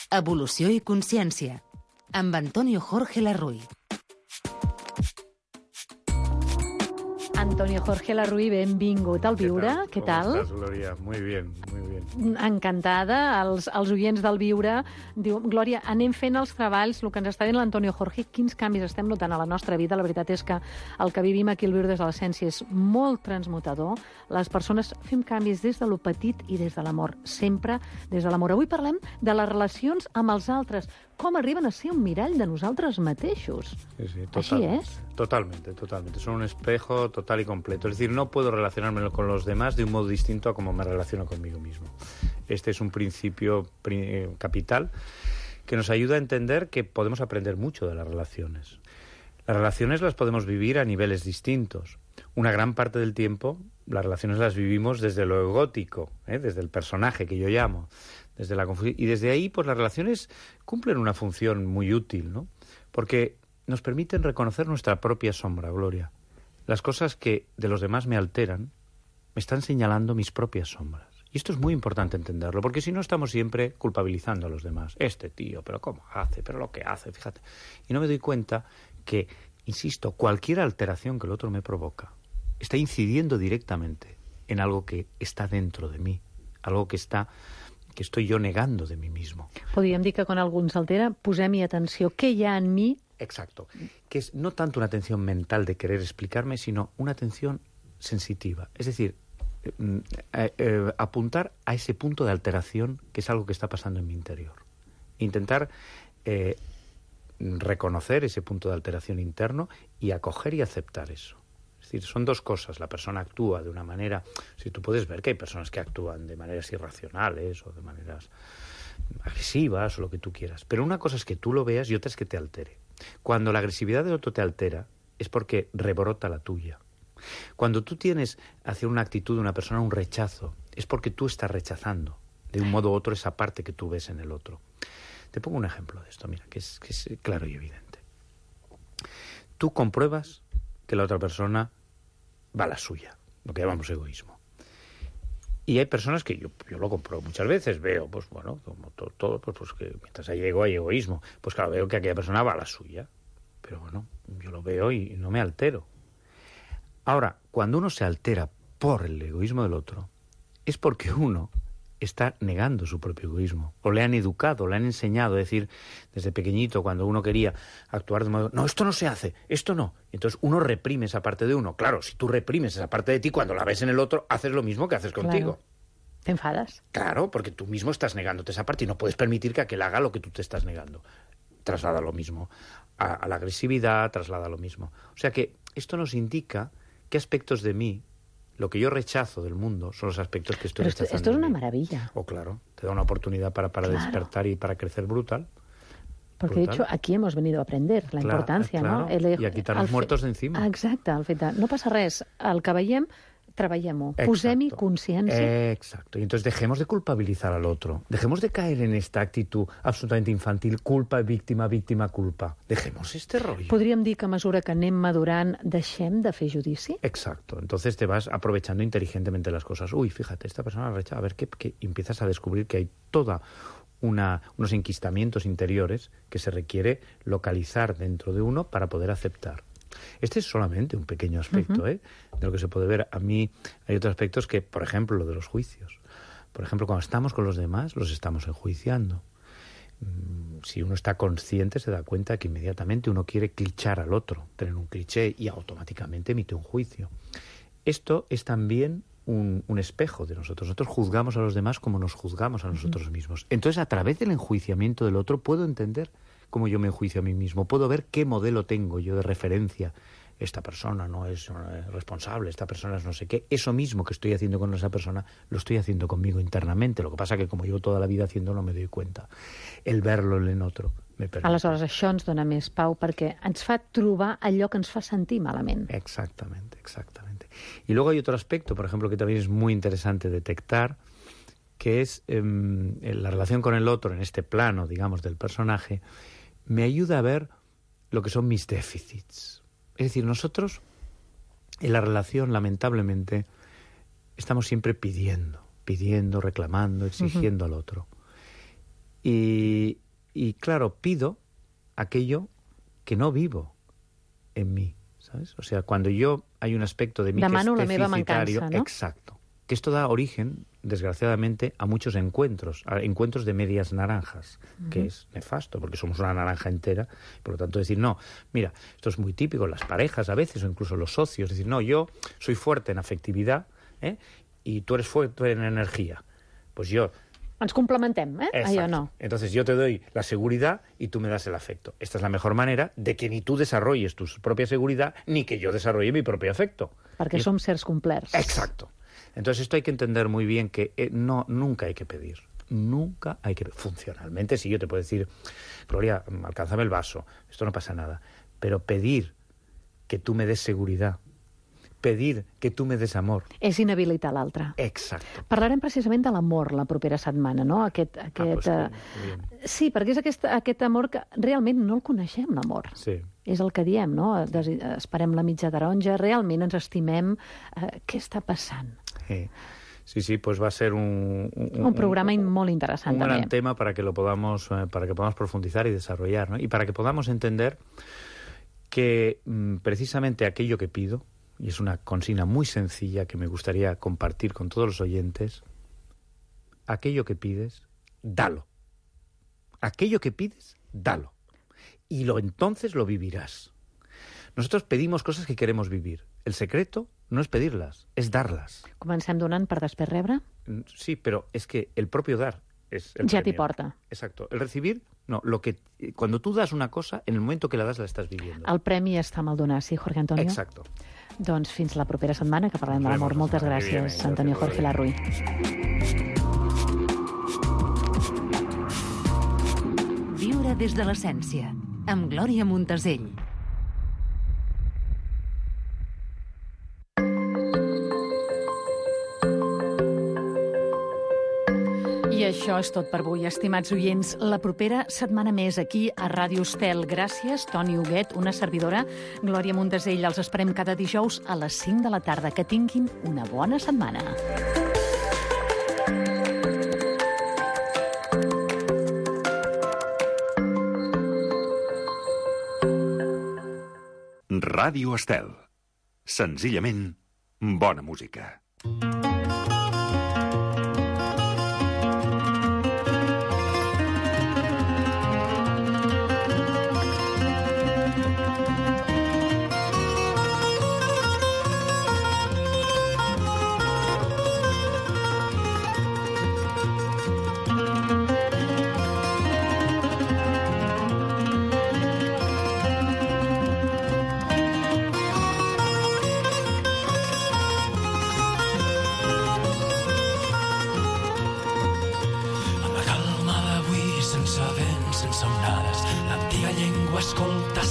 Evolució i consciència. Amb Antonio Jorge Larruy. Antonio Jorge Larruy, benvingut al Viure. Què tal? Com estàs, Glòria? Muy bien, muy bien. Encantada. Els, els oients del Viure diu, Glòria, anem fent els treballs, el que ens està dient l'Antonio Jorge, quins canvis estem notant a la nostra vida. La veritat és que el que vivim aquí al Viure des de l'Essència és molt transmutador. Les persones fem canvis des de lo petit i des de l'amor, sempre des de l'amor. Avui parlem de les relacions amb els altres, com arriben a ser un mirall de nosaltres mateixos. Sí, sí, Així és? Totalmente, totalmente. Son un espejo total y completo. Es decir, no puedo relacionarme con los demás de un modo distinto a como me relaciono conmigo mismo. Este es un principio eh, capital que nos ayuda a entender que podemos aprender mucho de las relaciones. Las relaciones las podemos vivir a niveles distintos. Una gran parte del tiempo las relaciones las vivimos desde lo egótico, ¿eh? Desde el personaje que yo llamo, desde la confusión. Y desde ahí, pues las relaciones cumplen una función muy útil, ¿no? Porque nos permiten reconocer nuestra propia sombra, Gloria. Las cosas que de los demás me alteran me están señalando mis propias sombras. Y esto es muy importante entenderlo, porque si no estamos siempre culpabilizando a los demás. Este tío, pero cómo hace, pero lo que hace, fíjate. Y no me doy cuenta que, insisto, cualquier alteración que el otro me provoca está incidiendo directamente en algo que está dentro de mí, algo que está... que estoy yo negando de mí mismo. Podríem dir que quan algú ens altera, posem-hi atenció. Què hi ha en mi? Exacto. Que es no tanto una atención mental de querer explicarme, sino una atención sensitiva. Es decir, eh, eh, apuntar a ese punto de alteración que es algo que está pasando en mi interior. Intentar eh, reconocer ese punto de alteración interno y acoger y aceptar eso. Es decir, son dos cosas. La persona actúa de una manera... Si tú puedes ver que hay personas que actúan de maneras irracionales o de maneras agresivas o lo que tú quieras. Pero una cosa es que tú lo veas y otra es que te altere. Cuando la agresividad del otro te altera es porque rebrota la tuya. Cuando tú tienes hacia una actitud de una persona un rechazo, es porque tú estás rechazando de un modo u otro esa parte que tú ves en el otro. Te pongo un ejemplo de esto, mira, que es, que es claro y evidente. Tú compruebas que la otra persona va a la suya, lo que llamamos egoísmo. Y hay personas que yo, yo lo compruebo muchas veces, veo, pues bueno, como todo, todo pues, pues que mientras hay ego hay egoísmo. Pues claro, veo que aquella persona va a la suya. Pero bueno, yo lo veo y no me altero. Ahora, cuando uno se altera por el egoísmo del otro, es porque uno está negando su propio egoísmo. O le han educado, le han enseñado, es decir, desde pequeñito, cuando uno quería actuar de modo... No, esto no se hace, esto no. Entonces uno reprime esa parte de uno. Claro, si tú reprimes esa parte de ti, cuando la ves en el otro, haces lo mismo que haces contigo. Claro. ¿Te enfadas? Claro, porque tú mismo estás negándote esa parte y no puedes permitir que aquel haga lo que tú te estás negando. Traslada lo mismo a, a la agresividad, traslada lo mismo. O sea que esto nos indica qué aspectos de mí, lo que yo rechazo del mundo, son los aspectos que estoy Pero esto, rechazando. Esto es una maravilla. Oh, claro, te da una oportunidad para, para claro. despertar y para crecer brutal. Porque, brutal. de hecho, aquí hemos venido a aprender la claro, importància, claro. no? El, I a quitar-nos muertos d'encima. Exacte, el fet de, no passa res, el que veiem, treballem-ho, posem-hi consciència. Exacto, y entonces dejemos de culpabilizar al otro, dejemos de caer en esta actitud absolutamente infantil, culpa, víctima, víctima, culpa. Dejemos este rollo. Podríem dir que a mesura que anem madurant deixem de fer judici? Exacto, entonces te vas aprovechando inteligentemente las cosas. Uy, fíjate, esta persona rechaza, a ver qué, qué, empiezas a descubrir que hay toda una, unos enquistamientos interiores que se requiere localizar dentro de uno para poder aceptar. Este es solamente un pequeño aspecto, uh-huh. ¿eh? de lo que se puede ver. A mí hay otros aspectos que, por ejemplo, lo de los juicios. Por ejemplo, cuando estamos con los demás, los estamos enjuiciando. Si uno está consciente, se da cuenta que inmediatamente uno quiere clichar al otro, tener un cliché, y automáticamente emite un juicio. Esto es también un, un espejo de nosotros. Nosotros juzgamos a los demás como nos juzgamos a nosotros mismos. Entonces, a través del enjuiciamiento del otro, puedo entender cómo yo me enjuicio a mí mismo. Puedo ver qué modelo tengo yo de referencia. Esta persona no es responsable, esta persona es no sé qué. Eso mismo que estoy haciendo con esa persona, lo estoy haciendo conmigo internamente. Lo que passa que, com llevo toda la vida haciendo, no me doy cuenta. El verlo en otro me permite. Aleshores, això ens dona més pau perquè ens fa trobar allò que ens fa sentir malament. Exactamente, exactamente. Y luego hay otro aspecto, por ejemplo, que también es muy interesante detectar, que es eh, la relación con el otro en este plano, digamos, del personaje, me ayuda a ver lo que son mis déficits. Es decir, nosotros en la relación, lamentablemente, estamos siempre pidiendo, pidiendo, reclamando, exigiendo uh-huh. al otro. Y, y, claro, pido aquello que no vivo en mí, ¿sabes? O sea, cuando yo hay un aspecto de mí Demano que es la meva deficitario, mancança, ¿no? Exacto, que esto da origen, desgraciadamente, a muchos encuentros, a encuentros de medias naranjas, uh-huh. que es nefasto, porque somos una naranja entera, por lo tanto decir, no, mira, esto es muy típico en las parejas a veces, o incluso los socios, decir, no, yo soy fuerte en afectividad, ¿eh? y tú eres fuerte en energía, pues yo... Ens complementem, eh? Exacto. Allò no. Entonces yo te doy la seguridad y tú me das el afecto. Esta es la mejor manera de que ni tú desarrolles tu propia seguridad, ni que yo desarrolle mi propio afecto. Perquè y... som sers complerts. Exacto. Entonces esto hay que entender muy bien que eh, no, nunca hay que pedir. Nunca hay que... Funcionalmente, sí, yo te puedo decir, Gloria, alcánzame el vaso, esto no pasa nada. Pero pedir que tú me des seguridad, pedir que tu me des amor. És inhabilitar l'altre. Exacte. Parlarem precisament de l'amor la propera setmana, no? Aquest, aquest, ah, pues, sí, perquè és aquest, aquest amor que realment no el coneixem, l'amor. Sí. És el que diem, no? Des, esperem la mitja taronja, realment ens estimem. Eh, què està passant? Sí. Sí, sí, pues va a ser un... Un, un programa un, molt interessant, un també. gran tema para que lo podamos, eh, para que podamos profundizar y desarrollar, ¿no? Y para que podamos entender que mm, precisamente aquello que pido, y es una consigna muy sencilla que me gustaría compartir con todos los oyentes, aquello que pides, dalo. Aquello que pides, dalo. Y lo entonces lo vivirás. Nosotros pedimos cosas que queremos vivir. El secreto no es pedirlas, es darlas. Comencem donant per després rebre? Sí, pero es que el propio dar es el ja t'hi premio. porta. Exacto. El recibir, no. Lo que, cuando tú das una cosa, en el momento que la das, la estás viviendo. El premi està amb el donar, sí, Jorge Antonio? Exacto. Doncs fins la propera setmana, que parlem de l'amor. Moltes gràcies, Antonio Jorge Larruy. Viure des de l'essència, amb Glòria Montesell. I això és tot per avui, estimats oients. La propera setmana més aquí a Ràdio Estel. Gràcies, Toni Huguet, una servidora, Glòria Montesell. Els esperem cada dijous a les cinc de la tarda. Que tinguin una bona setmana. Ràdio Estel. Senzillament, bona música.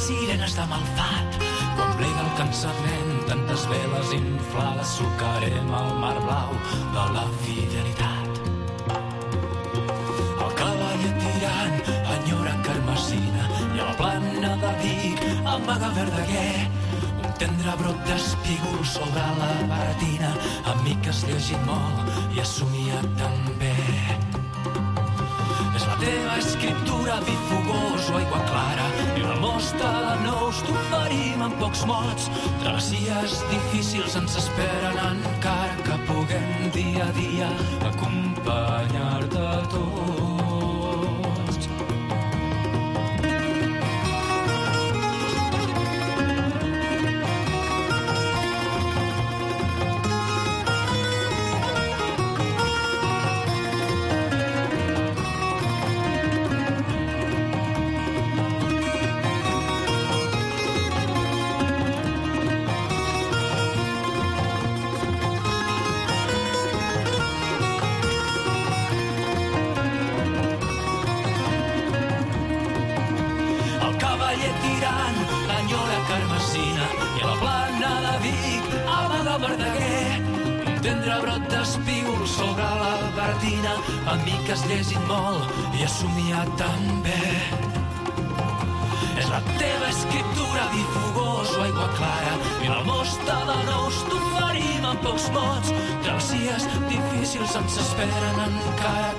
Sirenes de malfat, quan plega el cansament, tantes veles inflades, sucarem el mar blau de la fidelitat. El cavaller tirant enyora Carmesina i a la plana de Vic amaga Verdaguer. Un tendre brot d'espígol sobre la baratina, amic que has llegit molt i has somiat també. És la teva escriptura, vi fogós o aigua clara, i una mosta de nous t'oferim amb pocs mots. Travessies difícils ens esperen encara que puguem dia a dia acompanyar-te tots. gran enyora Carmesina i a la plana de Vic amaga Verdaguer. Un tendre brot d'espígol sobre la Bertina, amb mi que has llegit molt i has somiat també. És la teva escriptura difugós o aigua clara, i en el mosta de nous t'oferim amb pocs mots. Travessies difícils ens esperen encara,